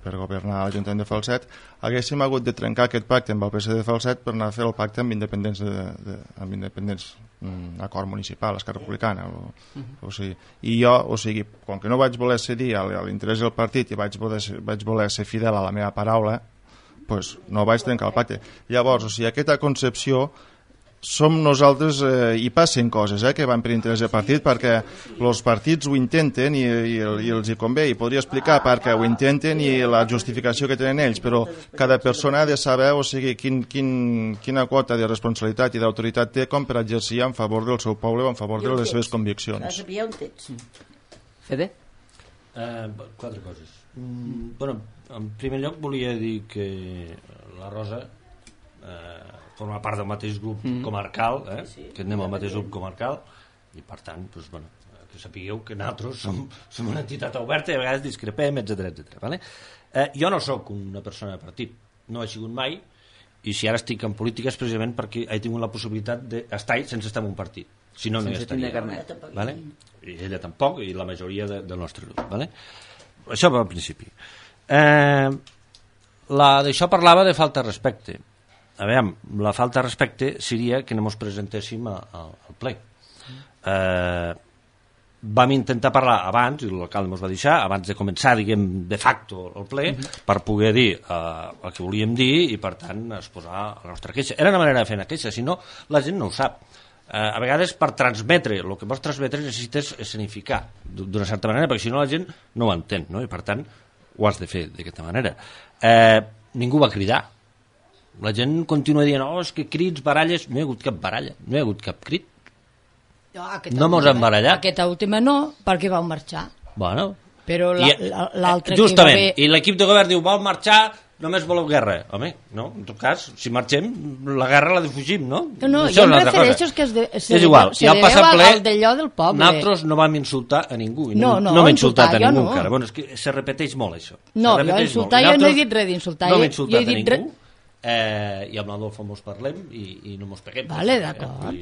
per governar l'Ajuntament de Falset, haguéssim hagut de trencar aquest pacte amb el P S C de Falset per anar a fer el pacte amb independents, de, de, amb independents mm, acord municipal, Esquerra Republicana o, uh -huh. o sigui, i jo, o sigui, com que no vaig voler cedir a l'interès del partit i vaig voler, vaig voler ser fidel a la meva paraula, pues no vaig trencar el pacte. Llavors, o sigui, aquesta concepció som nosaltres, eh, i passen coses eh, que van per interès de partit perquè els partits ho intenten i, i, i els hi convé, i podria explicar perquè ho intenten i la justificació que tenen ells, però cada persona ha de saber, o sigui, quin, quin, quina quota de responsabilitat i d'autoritat té com per exercir en favor del seu poble o en favor de les seves conviccions. Fede? Eh, quatre coses. Mm, bueno, en primer lloc volia dir que la Rosa eh, forma part del mateix grup mm. comarcal, eh? Sí, que anem al mateix grup comarcal, i per tant, doncs, bueno, que sapigueu que nosaltres som, som una entitat oberta i a vegades discrepem, etcètera, etcètera. Vale? Eh, jo no sóc una persona de partit, no he sigut mai, i si ara estic en política és precisament perquè he tingut la possibilitat d'estar sense estar en un partit, si no, no hi estaria. Vale? I ella tampoc, i la majoria de, del nostre grup. Vale? Això va al principi. Eh, la, d'això parlava de falta de respecte. A veure, la falta de respecte seria que no ens presentéssim al ple. Eh, vam intentar parlar abans, i l'alcalde ens va deixar, abans de començar, diguem, de facto el ple, per poder dir eh, el que volíem dir i, per tant, exposar la nostra queixa. Era una manera de fer una queixa, si no, la gent no ho sap. Eh, a vegades, per transmetre, el que vols transmetre necessites escenificar d'una certa manera, perquè si no la gent no ho entén, no? I, per tant, ho has de fer d'aquesta manera. Eh, ningú va cridar. La gent continua dient, oh, és que crits, baralles... No hi ha hagut cap baralla, no hi ha hagut cap crit. No, no mos hem barallat. Aquesta última no, perquè vau marxar. Bueno. Però l'altre que va haver... I l'equip de govern diu, vau marxar, només voleu guerra. Home, no, en tot cas, si marxem, la guerra la defugim, no? No, no, jo em refereixo que es de, se és igual, se deveu al, al d'allò del poble. Nosaltres no vam insultar a ningú. No, no, no m'he insultat a ningú no. encara. Bueno, és que se repeteix molt, això. No, jo insultar, jo no he dit res d'insultar. No m'he insultat a ningú. Eh, i amb l'Adolfo mos parlem i, i no mos peguem. Vale, d'acord.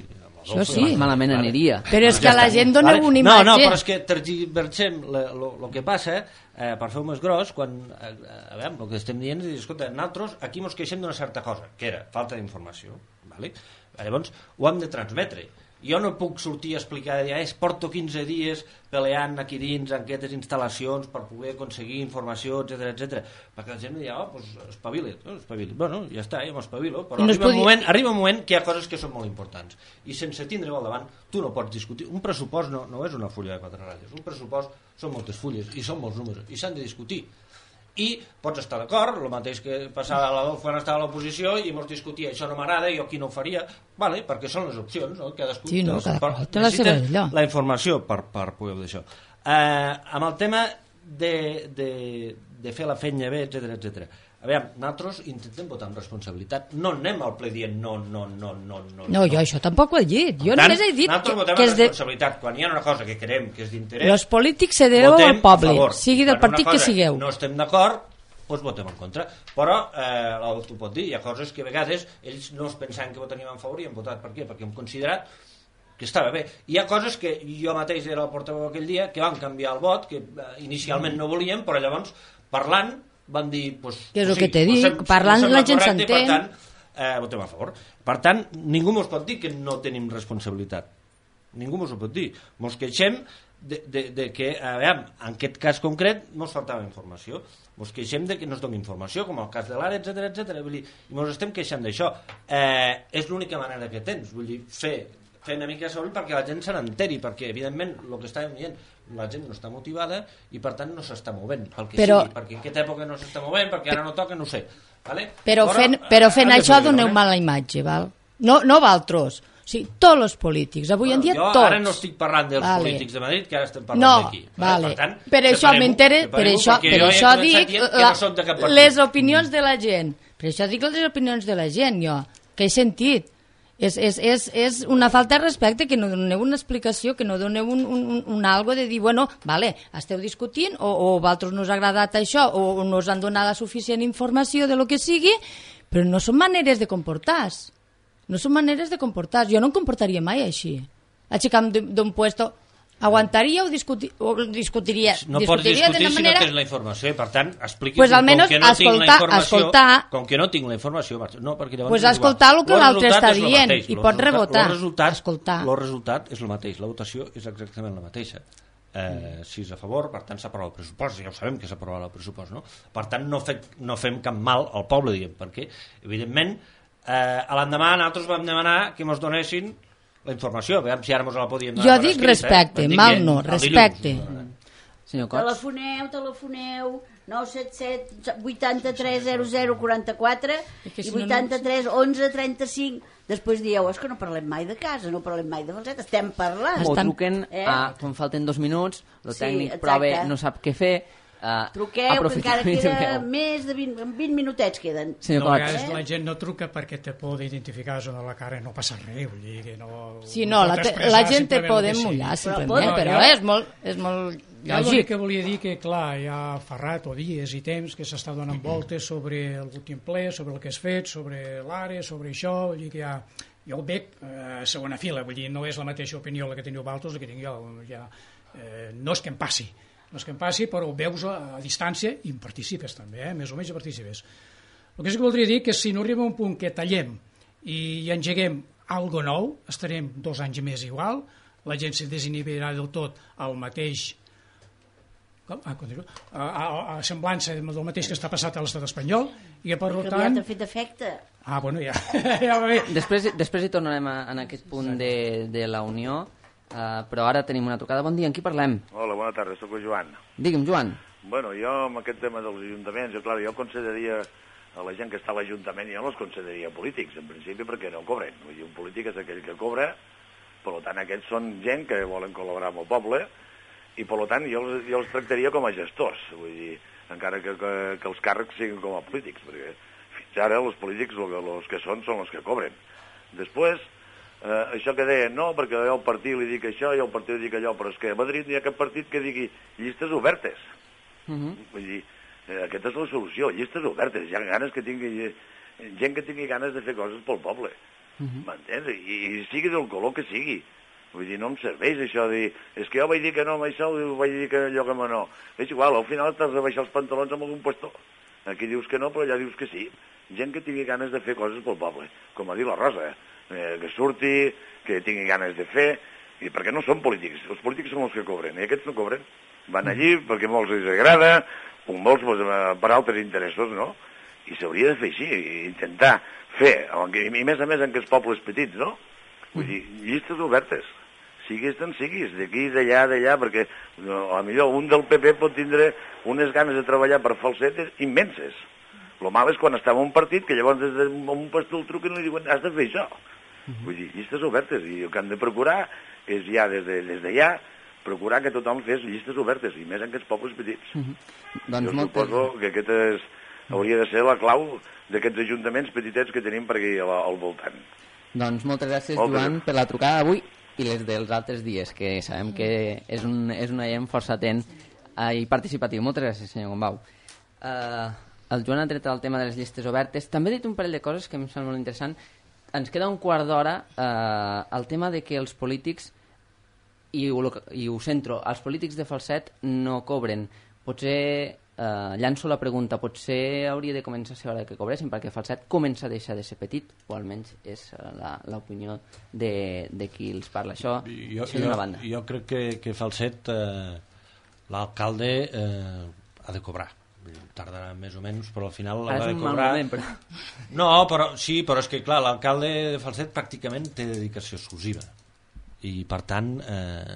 Això sí. Malament aniria. Però és que a la gent dona vale. una imatge. No, no, però és que tergiversem el que passa, eh, per fer-ho més gros, quan, eh, a veure, el que estem dient és, escolta, nosaltres aquí mos queixem d'una certa cosa, que era falta d'informació. Vale? Llavors, ho hem de transmetre. Jo no puc sortir a explicar, eh, porto quinze dies peleant aquí dins en aquestes instal·lacions per poder aconseguir informació, etcètera, etcètera, perquè la gent em diu, oh, doncs espavila't, oh, espavila't. Bueno, ja està, ja m'espavilo, però no arriba, podia... un moment, arriba un moment que hi ha coses que són molt importants, i sense tindre-ho al davant, tu no pots discutir. Un pressupost no, no és una fulla de quatre ratlles, un pressupost són moltes fulles, i són molts números, i s'han de discutir. I pots estar d'acord, el mateix que passava a l'Adolfo quan estava a l'oposició i ens discutia, això no m'agrada, jo aquí no ho faria, vale, perquè són les opcions, no? Cadascú sí, no, cada per, té la seva allò. La informació per, per poder d'això. Eh, amb el tema de, de, de fer la feina bé, etcètera, etcètera. A veure, nosaltres intentem votar amb responsabilitat. No anem al ple dient no, no, no, no, no. No, jo això tampoc ho he dit. Jo tant, només he dit nosaltres que, votem que amb és de... responsabilitat. Quan hi ha una cosa que creiem que és d'interès... Els polítics se deveu al poble, sigui del Quan partit que sigueu. No estem d'acord, doncs votem en contra. Però, eh, l'Adolfo pot dir, hi ha coses que a vegades ells no es pensaven que votaríem en favor i han votat. Per què? Perquè hem considerat que estava bé. Hi ha coses que jo mateix era el portaveu aquell dia, que van canviar el vot, que eh, inicialment no volíem, però llavors, parlant, van dir... Pues, que és el sí, que t'he dit, pues, parlant la gent s'entén. Per tant, eh, votem a favor. Per tant, ningú ens pot dir que no tenim responsabilitat. ningú mos ho pot dir. Mos queixem de, de, de que, a veure, en aquest cas concret mos faltava informació, mos queixem de que no es doni informació, com el cas de l'Ara, etcètera, etcètera, vull dir, i mos estem queixant d'això. Eh, és l'única manera que tens, vull dir, fer, fer una mica de soroll perquè la gent se n'enteri, perquè evidentment el que estàvem dient, la gent no està motivada i per tant no s'està movent, pel que però... sigui, perquè en aquesta època no s'està movent, perquè ara no toca, no ho sé. Vale? Però, Però fent, però fent això doneu eh? mala imatge, val? No, no valtros. O sigui, tots els polítics, avui bueno, en dia jo tots. Ara no estic parlant dels vale. polítics de Madrid, que ara estem parlant no, d'aquí. Vale. Per, tant, per això m'interessa, per això, per això dic la, no les opinions de la gent. Per això dic les opinions de la gent, jo, que he sentit. És, és, és, és una falta de respecte que no doneu una explicació, que no doneu un, un, un algo de dir, bueno, vale, esteu discutint o, o a vosaltres no us ha agradat això o no us han donat la suficient informació de lo que sigui, però no són maneres de comportar-se. No són maneres de comportar-se. Jo no em comportaria mai així. Aixecant d'un puesto... Aguantaria o, discuti o discutiria? No discutiria pots discutir si manera... no tens la informació i per tant expliqui's pues com que no escoltar, tinc la informació escoltar, com que no tinc la informació no, perquè llavors pues escoltar el que l'altre està dient i pot rebotar. El resultat, escoltar. el resultat és el mateix, la votació és exactament la mateixa. Eh, si és a favor, per tant s'aprova el pressupost, ja ho sabem que s'aprova el pressupost, no? Per tant no, fe, no fem cap mal al poble, diguem, perquè evidentment eh, a l'endemà nosaltres vam demanar que ens donessin la informació, veiem si ara mos la podíem donar. Jo dic escrit, respecte, eh? mal no, respecte. Senyor Cots. Telefoneu, telefoneu, nou set set vuitanta-tres zero zero quaranta-quatre i vuitanta-tres onze trenta-cinc. Després dieu, és que no parlem mai de casa, no parlem mai de Falset, estem parlant. O truquen, eh? a, quan falten dos minuts, el tècnic sí, prova, no sap què fer. Uh, Truqueu, que encara queda més de vint, vint minutets queden. No, a vegades la gent no truca perquè te pot identificar zona de la cara i no passa res, vull dir que no... Sí, no, la, te, la gent te pot mullar, simplement, però, però és molt, és molt lògic. Jo que volia dir que, clar, ja fa rato, dies i temps que s'està donant voltes sobre l'últim ple, sobre el que has fet, sobre l'àrea, sobre això, vull dir que ja... Jo el veig a eh, segona fila, vull dir, no és la mateixa opinió la que teniu vosaltres, la que tinc jo, ja, eh, no és que em passi, no és que em passi, però ho veus a, a distància i en participes també, eh? Més o menys participes. El que sí que voldria dir que si no arriba a un punt que tallem i engeguem algo nou, estarem dos anys més igual, la gent se desinhibirà del tot al mateix com? Ah, continua. A, a, a semblança del mateix que està passat a l'estat espanyol i que per que tant... ha fet efecte. Ah, bueno, ja, ja va bé. Després, després hi tornarem a, en aquest punt de, de la Unió. Uh, però ara tenim una trucada. Bon dia, amb qui parlem? Hola, bona tarda, soc el Joan. Digue'm, Joan. Bueno, jo amb aquest tema dels ajuntaments, jo, clar, jo consideraria a la gent que està a l'Ajuntament, jo no els consideraria polítics, en principi, perquè no cobren. Vull dir, un polític és aquell que cobra, per tant, aquests són gent que volen col·laborar amb el poble, i per tant, jo, jo els tractaria com a gestors, vull dir, encara que, que, que els càrrecs siguin com a polítics, perquè fins ara els polítics els que són són els que cobren. Després, Uh, això que deien, no, perquè jo al partit li dic això i al partit li dic allò, però és que a Madrid hi ha cap partit que digui llistes obertes. Uh -huh. Vull dir, eh, aquesta és la solució, llistes obertes, hi ha ganes que tingui, gent que tingui ganes de fer coses pel poble, uh -huh. m'entens? I, I sigui del color que sigui. Vull dir, no em serveix això de dir, és que jo vaig dir que no amb això, i vaig dir que allò que no. És igual, al final t'has de baixar els pantalons amb algun puesto. Aquí dius que no, però allà dius que sí. Gent que tingui ganes de fer coses pel poble, com ha dit la Rosa, eh? Eh, que surti, que tingui ganes de fer, i perquè no són polítics, els polítics són els que cobren, i aquests no cobren, van allí perquè molts els agrada, molts pues, per altres interessos, no? I s'hauria de fer així, intentar fer, i més a més en aquests pobles petits, no? Vull dir, llistes obertes, siguis d'on siguis, d'aquí, d'allà, d'allà, perquè no, a millor un del P P pot tindre unes ganes de treballar per Falset immenses. El mal és quan està en un partit que llavors des d'un pastor el truquen i li diuen has de fer això. Uh-huh. Vull dir, llistes obertes, i el que han de procurar és ja des d'allà de, procurar que tothom fes llistes obertes, i més en aquests pobles petits. Uh-huh. Doncs jo moltes... suposo que aquesta és, hauria de ser la clau d'aquests ajuntaments petitets que tenim per aquí al, al voltant. Doncs moltes gràcies, moltes Joan, gràcies. Per la trucada d'avui i les dels altres dies, que sabem que és, un, és una gent força atent uh, i participatiu. Moltes gràcies, senyor Gombau. Uh, el Joan ha tret el tema de les llistes obertes. També ha dit un parell de coses que em sembla molt interessant. Ens queda un quart d'hora eh, el tema de que els polítics, i ho, i ho centro, els polítics de Falset no cobren. Potser eh, llanço la pregunta, potser hauria de començar a ser hora que cobressin, perquè Falset comença a deixar de ser petit, o almenys és l'opinió de, de qui els parla. Això, jo, això d'una banda. Jo crec que, que Falset, eh, l'alcalde eh, ha de cobrar. Tardarà més o menys, però al final l'ha de cobrar. Moment, però... No, però sí, però és que clar, l'alcalde de Falset pràcticament té dedicació exclusiva i per tant eh,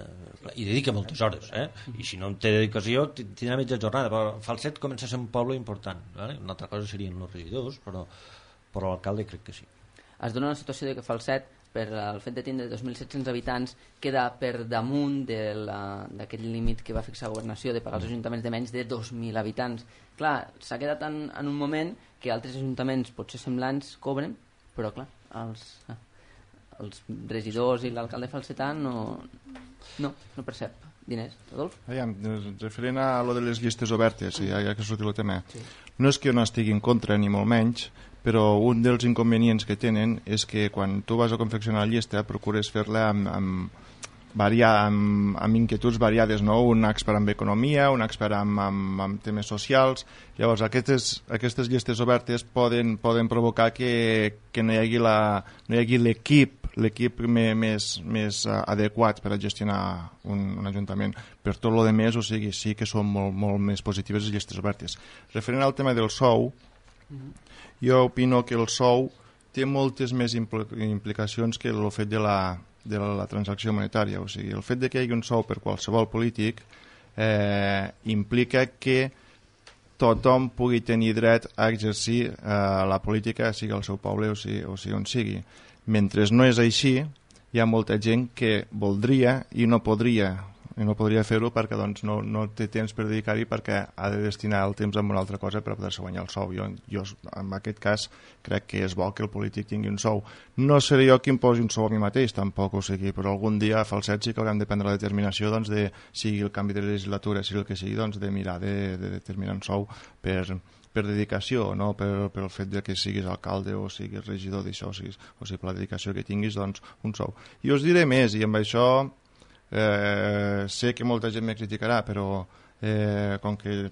i dedica moltes hores, eh? I si no té dedicació tindrà mitja jornada, però Falset comença a ser un poble important, eh? Una altra cosa serien els regidors, però, però l'alcalde crec que sí. Es dona una situació de que Falset, per el fet de tindre dos mil set-cents habitants, queda per damunt d'aquest límit que va fixar Governació de pagar als ajuntaments de menys de dos mil habitants. Clar, s'ha quedat en, en un moment que altres ajuntaments potser semblants cobren, però clar, els, els regidors i l'alcalde falsetà no, no, no percep diners. Adolf? Aviam, referent a lo de les llistes obertes, ja, ja que ha sortit el tema, sí. No és que jo no estigui en contra, ni molt menys, però un dels inconvenients que tenen és que quan tu vas a confeccionar la llista procures fer-la amb, amb, variar, amb, amb inquietuds variades, no? Un expert en economia, un expert en, en, en temes socials. Llavors aquestes, aquestes llistes obertes poden, poden provocar que, que no hi hagi la, no hi hagi l'equip l'equip més, més adequat per a gestionar un, un ajuntament. Per tot el que més, o sigui, sí que són molt, molt més positives les llistes obertes. Referent al tema del sou, jo opino que el sou té moltes més implicacions que el fet de la, de la transacció monetària. O sigui, el fet de que hi hagi un sou per qualsevol polític eh, implica que tothom pugui tenir dret a exercir eh, la política, sigui al seu poble o sigui, o sigui on sigui. Mentre no és així, hi ha molta gent que voldria i no podria i no podria fer-ho perquè doncs, no, no té temps per dedicar-hi, perquè ha de destinar el temps a una altra cosa per poder-se guanyar el sou. Jo, jo, en aquest cas, crec que és bo que el polític tingui un sou. No seré jo qui em posi un sou a mi mateix, tampoc, o sigui, però algun dia a Falset sí que haurem de prendre la determinació, doncs, de, sigui el canvi de legislatura, sigui el que sigui, doncs, de mirar de, de determinar un sou per... per dedicació, no per, per el fet de que siguis alcalde o siguis regidor d'això, o sigui, o sigui, per la dedicació que tinguis, doncs, un sou. I us diré més, i amb això eh, sé que molta gent me criticarà, però eh, com que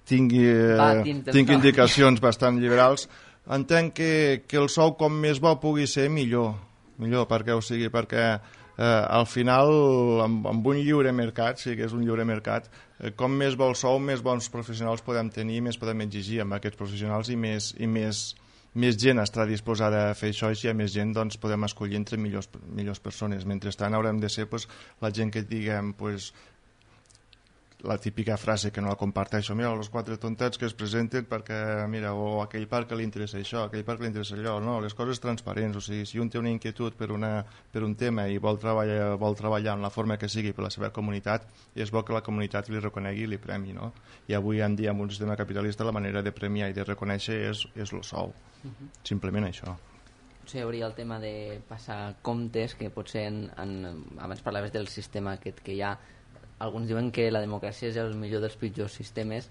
tingui, eh, tingui indicacions bastant liberals, entenc que, que el sou com més bo pugui ser millor, millor perquè, o sigui, perquè eh, al final, amb, amb un lliure mercat, sí que és un lliure mercat, eh, com més bo el sou, més bons professionals podem tenir, més podem exigir amb aquests professionals i més, i més, més gent estarà disposada a fer això, i si hi ha més gent doncs podem escollir entre millors, millors persones. Mentrestant haurem de ser pues, la gent que diguem pues, la típica frase que no la comparteixo, mira, els quatre tontets que es presenten perquè, mira, o aquell parc que li interessa això, aquell parc que li interessa allò, no, les coses transparents, o sigui, si un té una inquietud per, una, per un tema i vol treballar, vol treballar en la forma que sigui per la seva comunitat, és bo que la comunitat li reconegui i li premi, no? I avui en dia, amb un sistema capitalista, la manera de premiar i de reconèixer és, és el sou, uh-huh. Simplement això. Potser hi hauria el tema de passar comptes, que potser en, en, abans parlaves del sistema aquest que hi ha. Alguns diuen que la democràcia és el millor dels pitjors sistemes,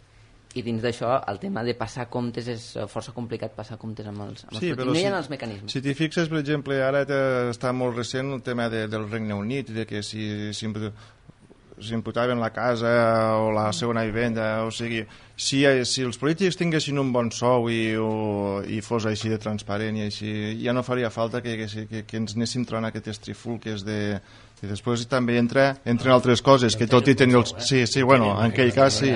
i dins d'això el tema de passar comptes és força complicat, passar comptes amb els, amb sí, els polítics. No hi ha si, els mecanismes. Si t'hi fixes, per exemple, ara està molt recent el tema de, del Regne Unit, de que si, si s'imputaven la casa o la segona vivenda, o sigui, si, si els polítics tinguessin un bon sou i, o, i fos així de transparent i així, ja no faria falta que, que, que, que ens anéssim trobant aquestes trifulques de... I després també entra, entren altres coses, que tot i tenir els... Sí, sí, bueno, en aquell cas sí.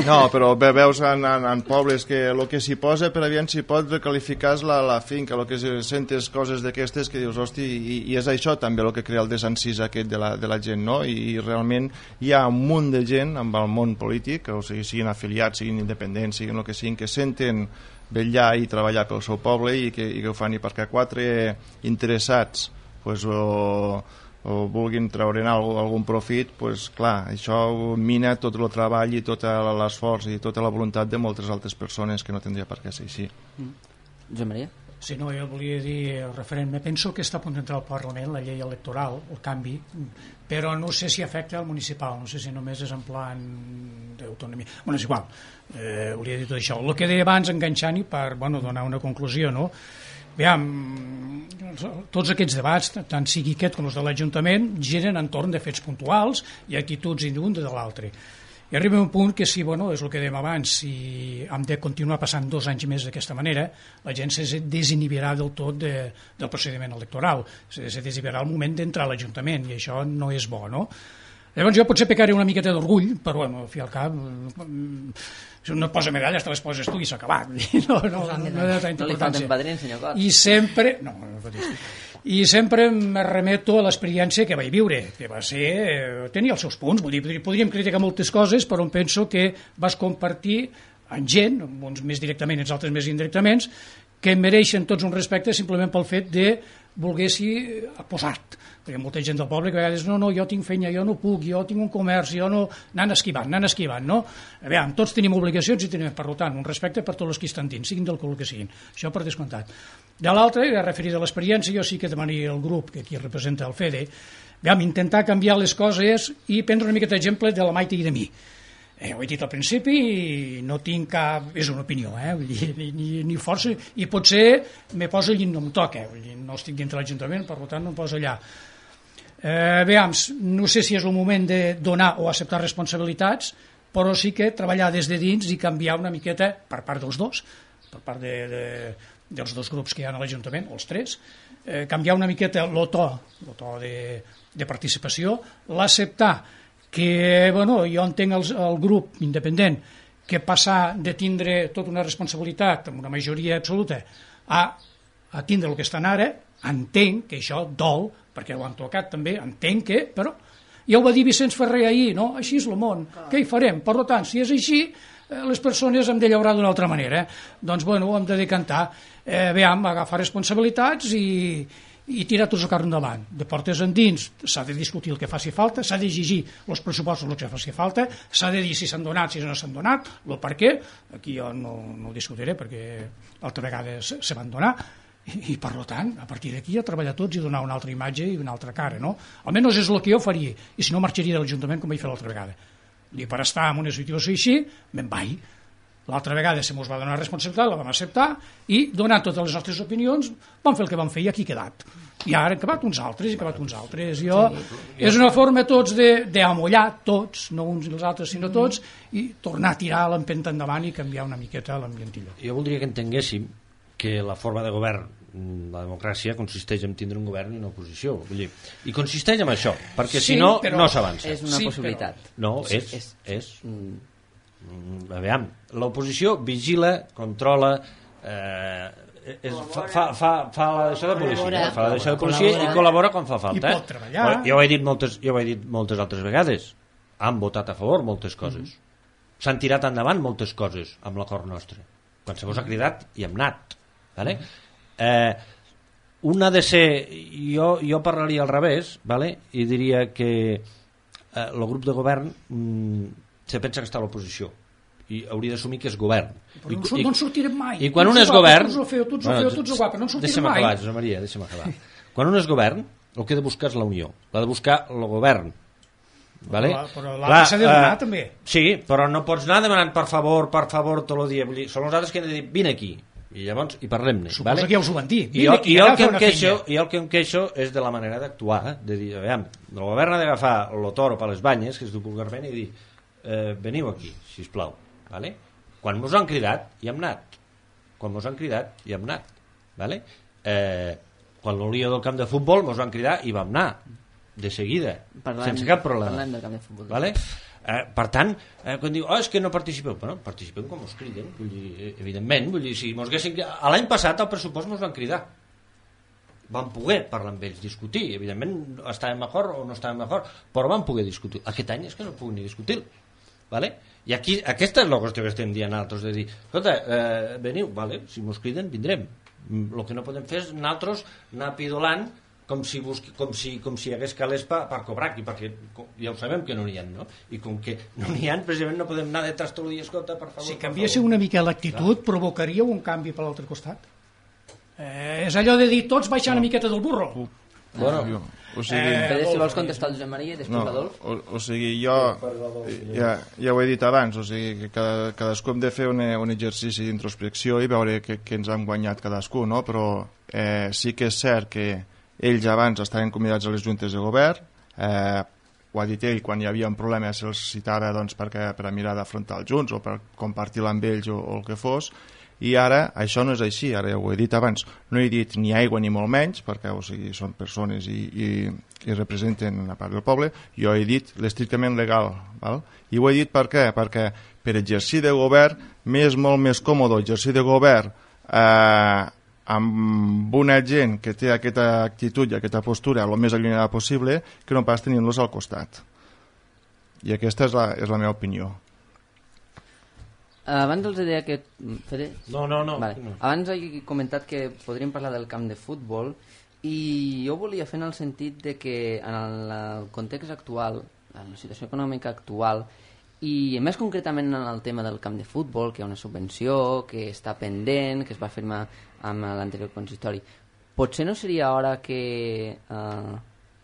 No, però veus en, en, en pobles que el que s'hi posa per aviam s'hi pot recalificar la, la finca, el que sentes coses d'aquestes que dius, hosti, i, i és això també el que crea el desencís aquest de la, de la gent, no? I, i realment hi ha un munt de gent amb el món polític, o sigui, siguin afiliats, siguin independents, siguin el que siguin, que senten vetllar i treballar pel seu poble i que, i que ho fan, i perquè quatre interessats pues, o, o vulguin treure'n algun profit, pues, clar, això mina tot el treball i tot l'esforç i tota la voluntat de moltes altres persones que no tindria per què ser així. Mm. Joan Maria? Sí, no, jo volia dir referent, me penso que està a punt d'entrar al Parlament la llei electoral, el canvi, però no sé si afecta al municipal, no sé si només és en plan d'autonomia. Bueno, és igual, eh, volia dir tot això. El que deia abans, enganxant-hi per bueno, donar una conclusió, no? Aviam, tots aquests debats, tant sigui aquest com els de l'Ajuntament, giren entorn de fets puntuals i actituds d'un de l'altre. I arriba un punt que, si, bueno, és el que dèiem abans, si hem de continuar passant dos anys més d'aquesta manera, la gent se desinhibirà del tot de, del procediment electoral, se, se desinhibirà al moment d'entrar a l'Ajuntament, i això no és bo, no? Llavors jo potser pecaré una miqueta d'orgull, però, bueno, al fi al cap, si un no posa medalles, te les poses tu i s'ha acabat. No, no, no, no, no li falten padrins, senyor Cot. I sempre... No, no, no, I sempre me remeto a l'experiència que vaig viure, que va ser... Eh, tenia els seus punts, vull dir, podríem criticar moltes coses, però em penso que vas compartir amb gent, uns més directament i els altres més indirectament, que mereixen tots un respecte simplement pel fet de volguessi posar-te. Perquè hi ha molta gent del poble que a vegades no, no, jo tinc feina, jo no puc, jo tinc un comerç, jo no... Anant esquivant, anant esquivant, no? A veure, tots tenim obligacions i tenim, per tant, un respecte per tots els que estan dins, siguin del color que siguin. Això per descomptat. De l'altre, referit a l'experiència, jo sí que demanaria al grup, que aquí representa el Fede, veure, intentar canviar les coses i prendre una mica d'exemple de la Maite i de mi. Eh, ho he dit al principi i no tinc cap... és una opinió, eh? Vull dir, ni, ni, ni força, i potser me poso allí no em toca, vull dir, no estic dintre l'Ajuntament, per tant no em poso allà. Eh, veams, no sé si és el moment de donar o acceptar responsabilitats, però sí que treballar des de dins i canviar una miqueta per part dels dos, per part de, de, dels dos grups que hi ha a l'Ajuntament, o els tres, eh, canviar una miqueta el to, el to de, de participació, l'acceptar que, bueno, jo entenc el, el grup independent que passar de tindre tota una responsabilitat amb una majoria absoluta a, a tindre el que estan ara, entenc que això dol, perquè ho han tocat també, entenc que, però ja ho va dir Vicenç Ferrer ahir, no? Així és el món, què hi farem? Per tant, si és així, les persones hem de llaurar d'una altra manera. Doncs, bueno, hem de decantar, eh, veiem, agafar responsabilitats i, i tirar tots el carro endavant. De portes endins s'ha de discutir el que faci falta, s'ha d'exigir els pressupostos el que faci falta, s'ha de dir si s'han donat, si no s'han donat, el per què, aquí jo no, no ho discutiré perquè altra vegada se, se van donar, i, i per tant, a partir d'aquí a treballar tots i donar una altra imatge i una altra cara, no? Almenys és el que jo faria, i si no marxaria de l'Ajuntament com vaig fer l'altra vegada. I per estar en una situació així, me'n vaig. L'altra vegada se mos va donar responsabilitat, la vam acceptar, i donant totes les nostres opinions vam fer el que vam fer i aquí ha quedat. I ara han acabat uns altres, i han acabat uns altres. Jo, és una forma tots d'amollar, tots, no uns i els altres, sinó tots, i tornar a tirar l'empenta endavant i canviar una miqueta l'ambientillo. Jo voldria que entenguéssim que la forma de govern, la democràcia, consisteix en tindre un govern i una oposició. Vull dir, i consisteix en això, perquè sí, si no, però no s'avança. És una sí, possibilitat. Però... No, sí, és... és, és... Mm, a veure, l'oposició vigila, controla, eh, és, fa, fa, fa, fa la deixada de policia, fa la deixada de policia i col·labora quan fa falta. I pot treballar. Jo ho he dit moltes, jo ho he dit moltes altres vegades. Han votat a favor moltes coses. Mm-hmm. S'han tirat endavant moltes coses amb l'acord nostre. Quan se vos ha cridat i hem anat. Vale? Eh, un ha de ser, jo, jo parlaria al revés, vale? I diria que eh, el grup de govern mm, se pensa que està a l'oposició i hauria d'assumir que és govern. Però I, no, no en sortirem mai. I quan un és govern... Tots ho feu, tots ho feu, tots ho guapa, no en sortirem deixa'm mai. Acabar, Josep Maria, deixa'm acabar. Quan un és govern, el que ha de buscar és la unió, l'ha de buscar el govern. Vale? Però, però l'altre s'ha de donar, uh, també. Sí, però no pots anar demanant per favor, per favor, tot el dia. Vull dir, són els altres que han de dir, vine aquí. I llavors hi parlem-ne. Suposo vale? que ja us ho van dir. I jo, i, jo el que em queixo, I el que em queixo és de la manera d'actuar, eh? De dir, aviam, el govern ha d'agafar el toro per les banyes, que es diu vulgarment, i dir, eh, veniu aquí, sisplau. Vale? Quan mos han cridat, hi hem anat. Quan mos han cridat, hi hem anat. Vale? Eh, quan l'olia del camp de futbol mos van cridar i vam anar. De seguida, parlem, sense cap problema. Parlem del camp de futbol. Vale? Eh, per tant, eh, quan diu, oh, és que no participeu, bueno, participem com us criden, vull dir, evidentment, vull dir, si mos haguessin... l'any passat al pressupost mos van cridar, vam poder parlar amb ells, discutir, evidentment estàvem d'acord o no estàvem d'acord, però vam poder discutir. Aquest any és que no puguem ni discutir, vale? I aquí, aquesta és la qüestió que estem dient nosaltres, de dir, escolta, eh, veniu, vale? Si mos criden vindrem, el que no podem fer és nosaltres anar pidolant com si, busqui, com si, com si hi hagués calés per, per cobrar aquí, perquè ja ho sabem que no n'hi ha, no? I com que no n'hi ha, precisament no podem anar detrás tot el dia, escolta, per favor. Si canviéssiu una mica l'actitud, provocaríeu un canvi per l'altre costat. Eh, és allò de dir, tots baixant no. una miqueta del burro. Uh, bueno, jo, o sigui... Eh, Pere, si vols contestar el Josep Maria i després no, l'Adolf. O, o sigui, jo ja, ja ho he dit abans, o sigui, que cada, cadascú hem de fer un, un exercici d'introspecció i veure que, que ens han guanyat cadascú, no? Però eh, sí que és cert que ells abans estaven convidats a les juntes de govern, eh, ho ha dit ell, quan hi havia un problema se'ls citava doncs, perquè, per a mirar d'afrontar els junts o per compartir-la amb ells o, o el que fos, i ara això no és així, ara ja ho he dit abans, no he dit ni aigua ni molt menys, perquè o sigui, són persones i, i, i representen una part del poble, jo he dit l'estrictament legal, val? I ho he dit per què? Perquè per exercir de govern m'és molt més còmode exercir de govern eh, amb una gent que té aquesta actitud i aquesta postura el més allunyada possible que no pas tenint-los al costat. I aquesta és la, és la meva opinió. Abans els deia que... Fede? No, no, no. Vale. no. Abans he comentat que podríem parlar del camp de futbol i jo volia fer en el sentit de que en el context actual, en la situació econòmica actual, i més concretament en el tema del camp de futbol, que hi ha una subvenció, que està pendent, que es va firmar amb l'anterior consistori, potser no seria hora que eh,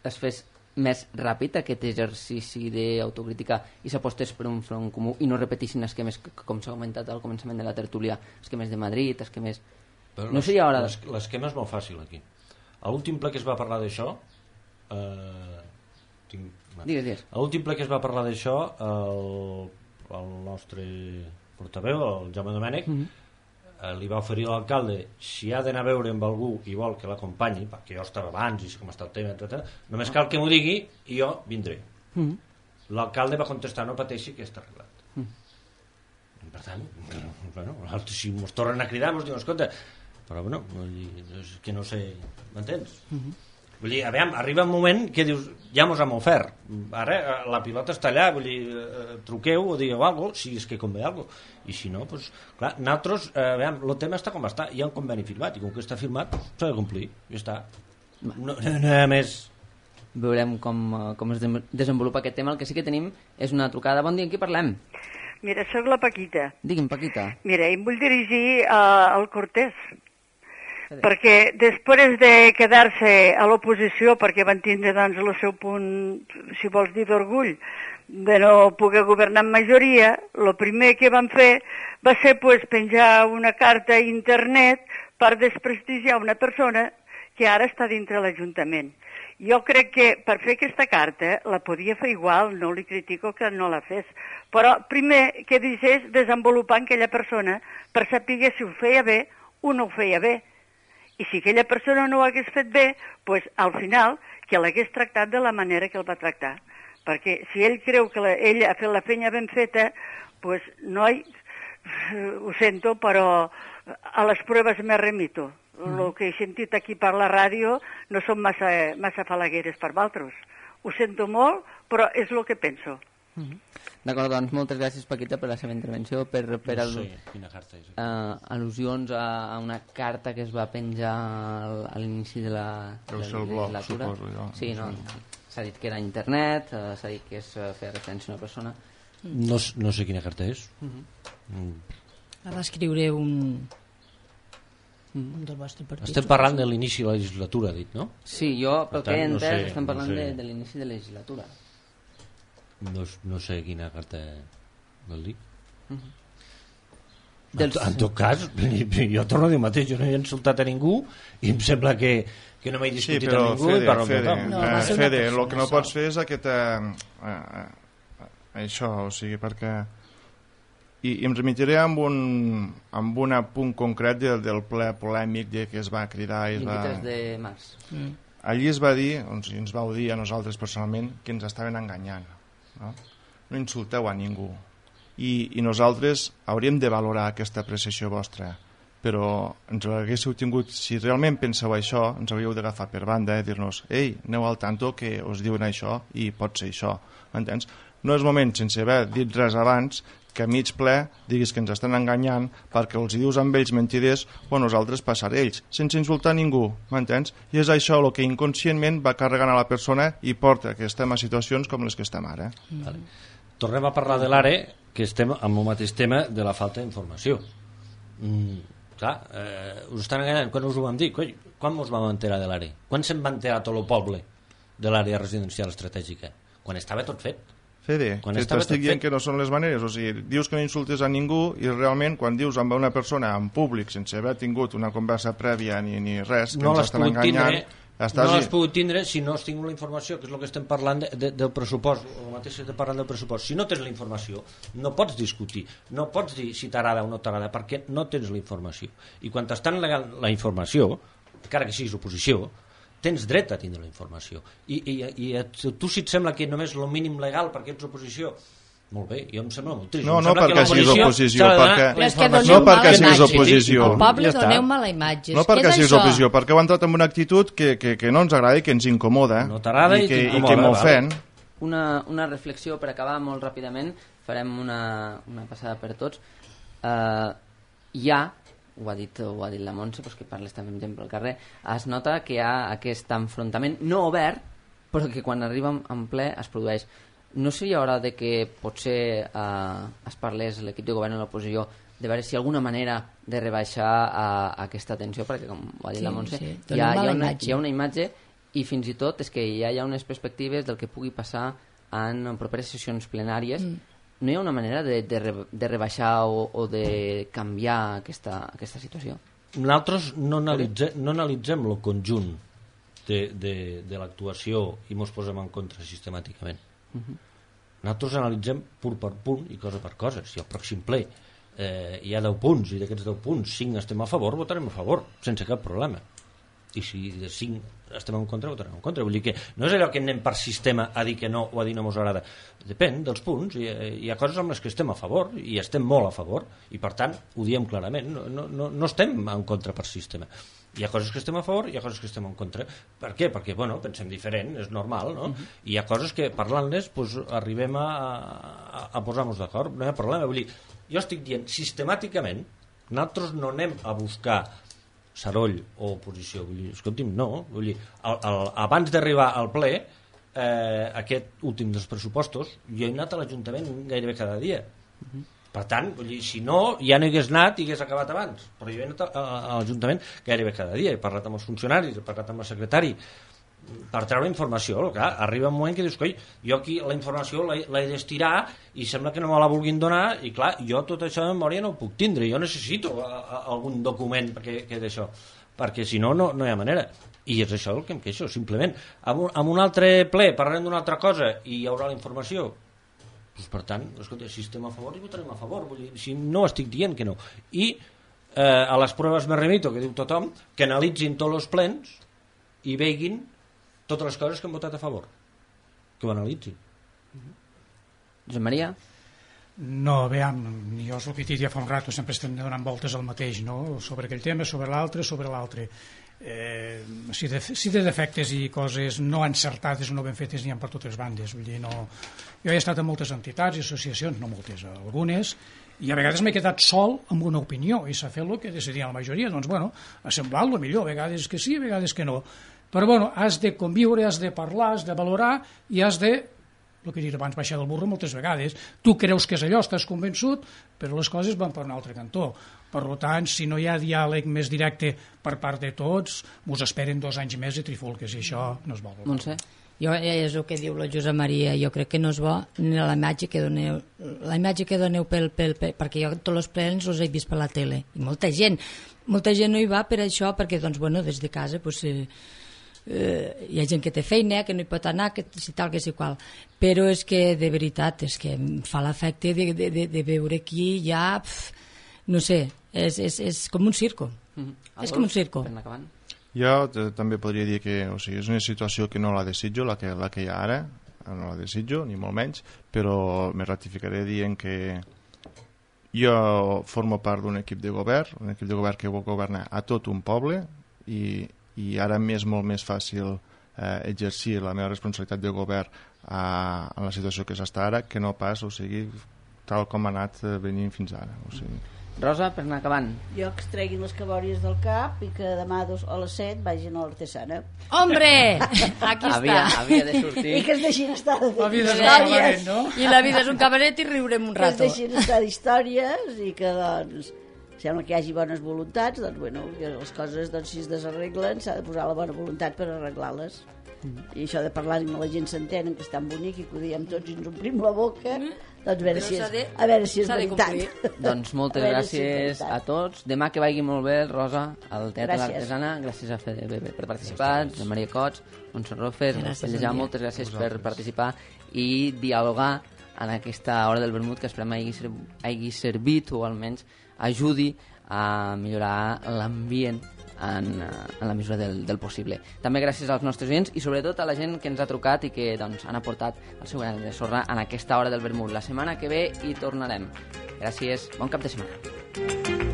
es fes més ràpid aquest exercici d'autocrítica i s'apostés per un front comú i no repetissin esquemes, com s'ha comentat al començament de la tertúlia, esquemes de Madrid, esquemes... Però no seria hora... L'esquema és molt fàcil aquí. A l'últim ple que es va parlar d'això eh, tinc... digues, digues. A l'últim ple que es va parlar d'això el, el nostre portaveu, el Jaume Domènech, mm-hmm. li va oferir a l'alcalde si ha d'anar a veure amb algú i vol que l'acompanyi, perquè jo estava abans i sé com està el tema, etcètera, només cal que m'ho digui i jo vindré. Mm-hmm. L'alcalde va contestar no pateixi que està arreglat. Mm-hmm. Per tant, bueno, si ens tornen a cridar ens diuen, escolta, però bueno, és que no sé, m'entens? Mm-hmm. Vull dir, a veure, arriba un moment que dius, ja mos hem ofert, ara la pilota està allà, vull dir, eh, truqueu o digueu alguna cosa, si és que convé alguna cosa, i si no, doncs, clar, nosaltres, eh, a veure, el tema està com està, hi ha un conveni firmat, i com que està firmat, s'ha de complir, i ja està. No, no, no hi ha més. Veurem com, com es desenvolupa aquest tema. El que sí que tenim és una trucada. Bon dia, amb qui parlem? Mira, sóc la Paquita. Digui'm, Paquita. Mira, em vull dirigir uh, al Cortés, perquè després de quedar-se a l'oposició, perquè van tindre doncs, el seu punt, si vols dir, d'orgull, de no poder governar en majoria, el primer que van fer va ser pues, penjar una carta a internet per desprestigiar una persona que ara està dintre l'Ajuntament. Jo crec que per fer aquesta carta la podia fer igual, no li critico que no la fes, però primer que deixés desenvolupant aquella persona per saber si ho feia bé o no ho feia bé. I si aquella persona no ho hagués fet bé, pues, al final que l'hagués tractat de la manera que el va tractar. Perquè si ell creu que la, ell ha fet la feina ben feta, pues, noi, ho sento, però a les proves me remito. El mm. que he sentit aquí per la ràdio no són massa, massa falagueres per vosaltres. Ho sento molt, però és el que penso. Mm-hmm. D'acord, doncs moltes gràcies, Paquita, per la seva intervenció, per, per no al, sé quina carta és. Uh, al·lusions a, a una carta que es va penjar al, a l'inici de la, de la legislatura. Suposo, jo. Sí, no, s'ha dit que era internet, uh, s'ha dit que es uh, feia referència a una persona. No, no sé quina carta és. Uh-huh. Mm. La va escriure un... un del vostre partit. Estem parlant de l'inici de la legislatura, ha dit, no? Sí, jo, pel que he entès, no sé, estem parlant no sé. de, de l'inici de la legislatura. No, no sé quina carta vol dir. Uh-huh. En, Dels... en tot cas, jo torno a dir el mateix, jo no he insultat a ningú i em sembla que, que no m'he discutit sí, però, amb ningú Fede, i parlo Fede, amb tothom. no, va ser Fede, una el que no pots fer és aquest, eh, eh, això, o sigui, perquè i, i em remitiré amb un, amb un punt concret del, del ple polèmic de que es va cridar i es va... vint-i-tres de març. Mm. Allí es va dir, doncs, ens vau dir a nosaltres personalment, que ens estaven enganyant. No, no insulteu a ningú. I, I nosaltres hauríem de valorar aquesta apreciació vostra, però ens l'haguéssiu tingut, si realment penseu això, ens hauríeu d'agafar per banda i eh, dir-nos, ei, aneu al tanto que us diuen això i pot ser això. M'entens? No és moment, sense haver dit res abans, que a mig ple diguis que ens estan enganyant perquè els dius amb ells mentiders o a nosaltres passar ells, sense insultar ningú, m'entens? I és això el que inconscientment va carregant a la persona i porta que estem a situacions com les que estem ara. Mm. Vale. Tornem a parlar de l'A R E, que estem amb el mateix tema de la falta d'informació. Mm, clar, eh, us estan enganyant, quan us ho vam dir? Coi, quan us vam enterar de l'A R E? Quan se'n va enterar tot el poble de l'àrea residencial estratègica? Quan estava tot fet. Fede, quan que t'estic dient que no són les maneres, o sigui, dius que no insultes a ningú i realment quan dius amb una persona en públic sense haver tingut una conversa prèvia ni, ni res, que no ens estan enganyant, tindre... Estàs... No has pogut tindre si no has tingut la informació, que és el que estem parlant de, de, del pressupost, el mateix que estem parlant del pressupost. Si no tens la informació, no pots discutir, no pots dir si t'agrada o no t'agrada, perquè no tens la informació. I quan t'estan negant la informació, encara que siguis oposició, tens dret a tindre la informació. I, i, i a tu si et sembla que només el mínim legal perquè ets oposició, molt bé, jo em sembla molt trist. No, no perquè siguis oposició, perquè... No perquè siguis oposició. Al poble doneu mala imatge. No perquè siguis oposició, perquè heu entrat en una actitud que, que, que no ens agrada i que ens incomoda. No t'agrada i, i, i que m'ofèn. Una, una reflexió per acabar molt ràpidament, farem una, una passada per tots. Uh, hi ha, ho ha dit, ho ha dit la Montse, doncs que parles també amb gent pel carrer, es nota que hi ha aquest enfrontament no obert, però que quan arriba en ple es produeix. No seria hora de que potser eh, es parlés l'equip de govern i l'oposició de veure si hi ha alguna manera de rebaixar eh, aquesta tensió, perquè com ho ha dit sí, la Montse, sí. hi, ha, hi, ha una, hi ha una imatge i fins i tot és que ja hi ha unes perspectives del que pugui passar en properes sessions plenàries. Mm. No hi ha una manera de, de, re, de rebaixar o, o de canviar aquesta, aquesta situació? Nosaltres no analitzem, no analitzem el conjunt de, de, de l'actuació i mos posem en contra sistemàticament. Uh-huh. Nosaltres analitzem punt per punt i cosa per cosa. Si al pròxim ple eh, hi ha deu punts i d'aquests deu punts cinc estem a favor, votarem a favor sense cap problema, i si de cinc estem en contra, votarem en contra. Vull dir que no és allò que anem per sistema a dir que no o a dir no mos agrada, depèn dels punts. Hi, hi ha coses amb les que estem a favor i estem molt a favor i per tant ho diem clarament, no, no, no, no estem en contra per sistema. Hi ha coses que estem a favor i hi ha coses que estem en contra. Per què? Perquè, bueno, pensem diferent, és normal, no? Uh-huh. I hi ha coses que, parlant-les, pues, arribem a, a, a posar-nos d'acord, no hi ha problema. Vull dir, jo estic dient, sistemàticament, nosaltres no anem a buscar saroll o oposició. Vull dir, escolti'm, no. Vull dir, el, el, abans d'arribar al ple, eh, aquest últim dels pressupostos, jo he anat a l'Ajuntament gairebé cada dia. Uh-huh. Per tant, vull dir, si no, ja no hi hagués anat i hagués acabat abans. Però jo he anat a, a, a l'Ajuntament gairebé cada dia, he parlat amb els funcionaris, he parlat amb el secretari, per treure informació. Clar, arriba un moment que dius, coi, jo aquí la informació l'he d'estirar i sembla que no me la vulguin donar, i clar, jo tot això de memòria no ho puc tindre, jo necessito a, a, algun document que, que d'això, perquè si no, no, no hi ha manera. I és això el que em queixo, simplement. Amb un, amb un altre ple parlarem d'una altra cosa i hi haurà la informació. Pues, per tant, escolta, si estem a favor i votarem a favor, vull dir, si no estic dient que no. I eh, a les proves me remito, que diu tothom, que analitzin tots els plens i veguin totes les coses que han votat a favor, que ho analitzin. Josep Maria? No, veiem, jo és el que he dit ja fa un rato, sempre estem donant voltes al mateix, no? Sobre aquell tema, sobre l'altre, sobre l'altre. Eh, si, de, si de defectes i coses no encertades o no ben fetes n'hi ha per totes bandes, vull dir, no... Jo he estat en moltes entitats i associacions, no moltes, algunes, i a vegades m'he quedat sol amb una opinió i s'ha fet el que decidia la majoria. Doncs bueno, ha semblat el millor, a vegades que sí, a vegades que no, però bueno, has de conviure, has de parlar, has de valorar i has de, el que he dit abans, baixar del burro moltes vegades. Tu creus que és allò, estàs convençut, però les coses van per un altre cantó. Per tant, si no hi ha diàleg més directe per part de tots, us esperen dos anys més de trifulques i això no es vol. Montse? Jo, és el que diu la Josep Maria, jo crec que no és bo ni la imatge que doneu, la imatge que doneu pel, pel, pel, perquè jo tots els plens els he vist per la tele, i molta gent, molta gent no hi va per això, perquè doncs, bueno, des de casa pues, eh, eh, hi ha gent que té feina, que no hi pot anar, que si tal, que si qual, però és que de veritat, és que em fa l'efecte de, de, de, de veure aquí ja, pf, no sé, és, és, és com un circo, mm-hmm. és com un circo. Jo també podria dir que o sigui, és una situació que no la desitjo, la que, la que hi ha ara, no la desitjo, ni molt menys, però me ratificaré dient que jo formo part d'un equip de govern, un equip de govern que vol governar a tot un poble i, i ara m'és molt més fàcil eh, exercir la meva responsabilitat de govern a, a la situació que s'està ara que no pas, o sigui, tal com ha anat venint fins ara. O sigui. Rosa, per anar acabant. Jo que es treguin les cabòries del cap i que demà dos, a les set vagin a l'Artesana. Hombre! Aquí havia, està. Havia de sortir. I que es deixin estar de la vida és un cabaret, no? I la vida és un cabaret i riurem un rato. Que es deixin estar d'històries i que, doncs, sembla que hi hagi bones voluntats, doncs, bueno, que les coses, doncs, si es desarreglen, s'ha de posar la bona voluntat per arreglar-les. Mm. I això de parlar amb la gent s'entenen, que és tan bonic i que ho diem tots i ens omplim la boca, mm. doncs a veure, si és, de, a veure si és veritat. Doncs moltes gràcies si a tots. Demà que vagi molt bé, Rosa, al Teatre de l'Artesana. Gràcies a Fede Bebe per participar, a Maria Cots, Montserrat Rofes, Pellejà, moltes gràcies per participar i dialogar en aquesta hora del vermut, que esperem hagi, hagi servit o almenys ajudi a millorar l'ambient en, en la mesura del, del possible. També gràcies als nostres oients i sobretot a la gent que ens ha trucat i que doncs, han aportat el seu gran de sorra en aquesta hora del vermut. La setmana que ve hi tornarem. Gràcies, bon cap de setmana.